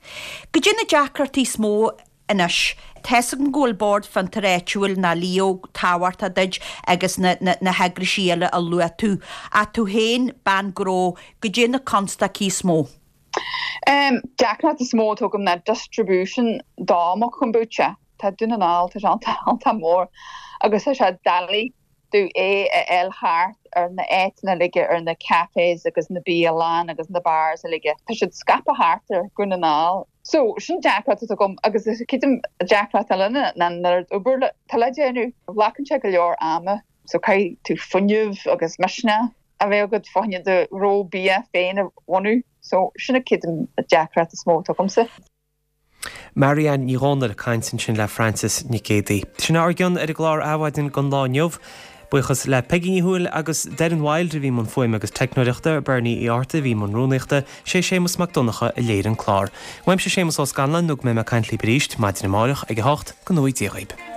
Speaker 15: Goidé na deacrachtaí is mó anois. Tá's agam go bhfuil Bord Fiontair Áitiúil ná Leo tábhachtach duit agus na, na, na heagraisí eile a luaigh tú. Ach tú féin bean gnó goidé na constaicí is mó.
Speaker 14: Um, deacracht is mó atá agam ná distribution do mo kombucha. Tá Dún na nGall tá an mór agus tá sé doiligh dom é a fháil thart ar na áiteanna uilig ar na cafés agus na bialanna agus na bars uilig. Tá siad scaipthe thart ar Dhún na nGall. So sin deacracht agam agus ceapaim deacracht eile ná an obair atá le déanamh glacann sé go leor ama, so caithfidh tú fuinneamh agus misneach a bheith agat fá choinne do ghnó bia féin a bhunú, so sin a ceapaim deacracht is mó agamsa.
Speaker 1: Marianne Ní Dhomhnaill ag caint ansin le Francis Nic Géadaigh. Sin ár gcionn ar an gclár Adhmhaidin don lá inniu. Buíochas le Peggy Ní Thuathail agus Darren Wild a bhí i mbun fuaime agus teicneoireachta Bernie Uí Fhátharta a bhí i mbun rúnaíochta sé Séamus Mac Donncha a léirigh an clár. Uaimse Séamus Ó Scanláin nó go mbeidh mé ag caint libh arís maidin amárach ag a hocht go ngnóthaí Dia dhaoibh.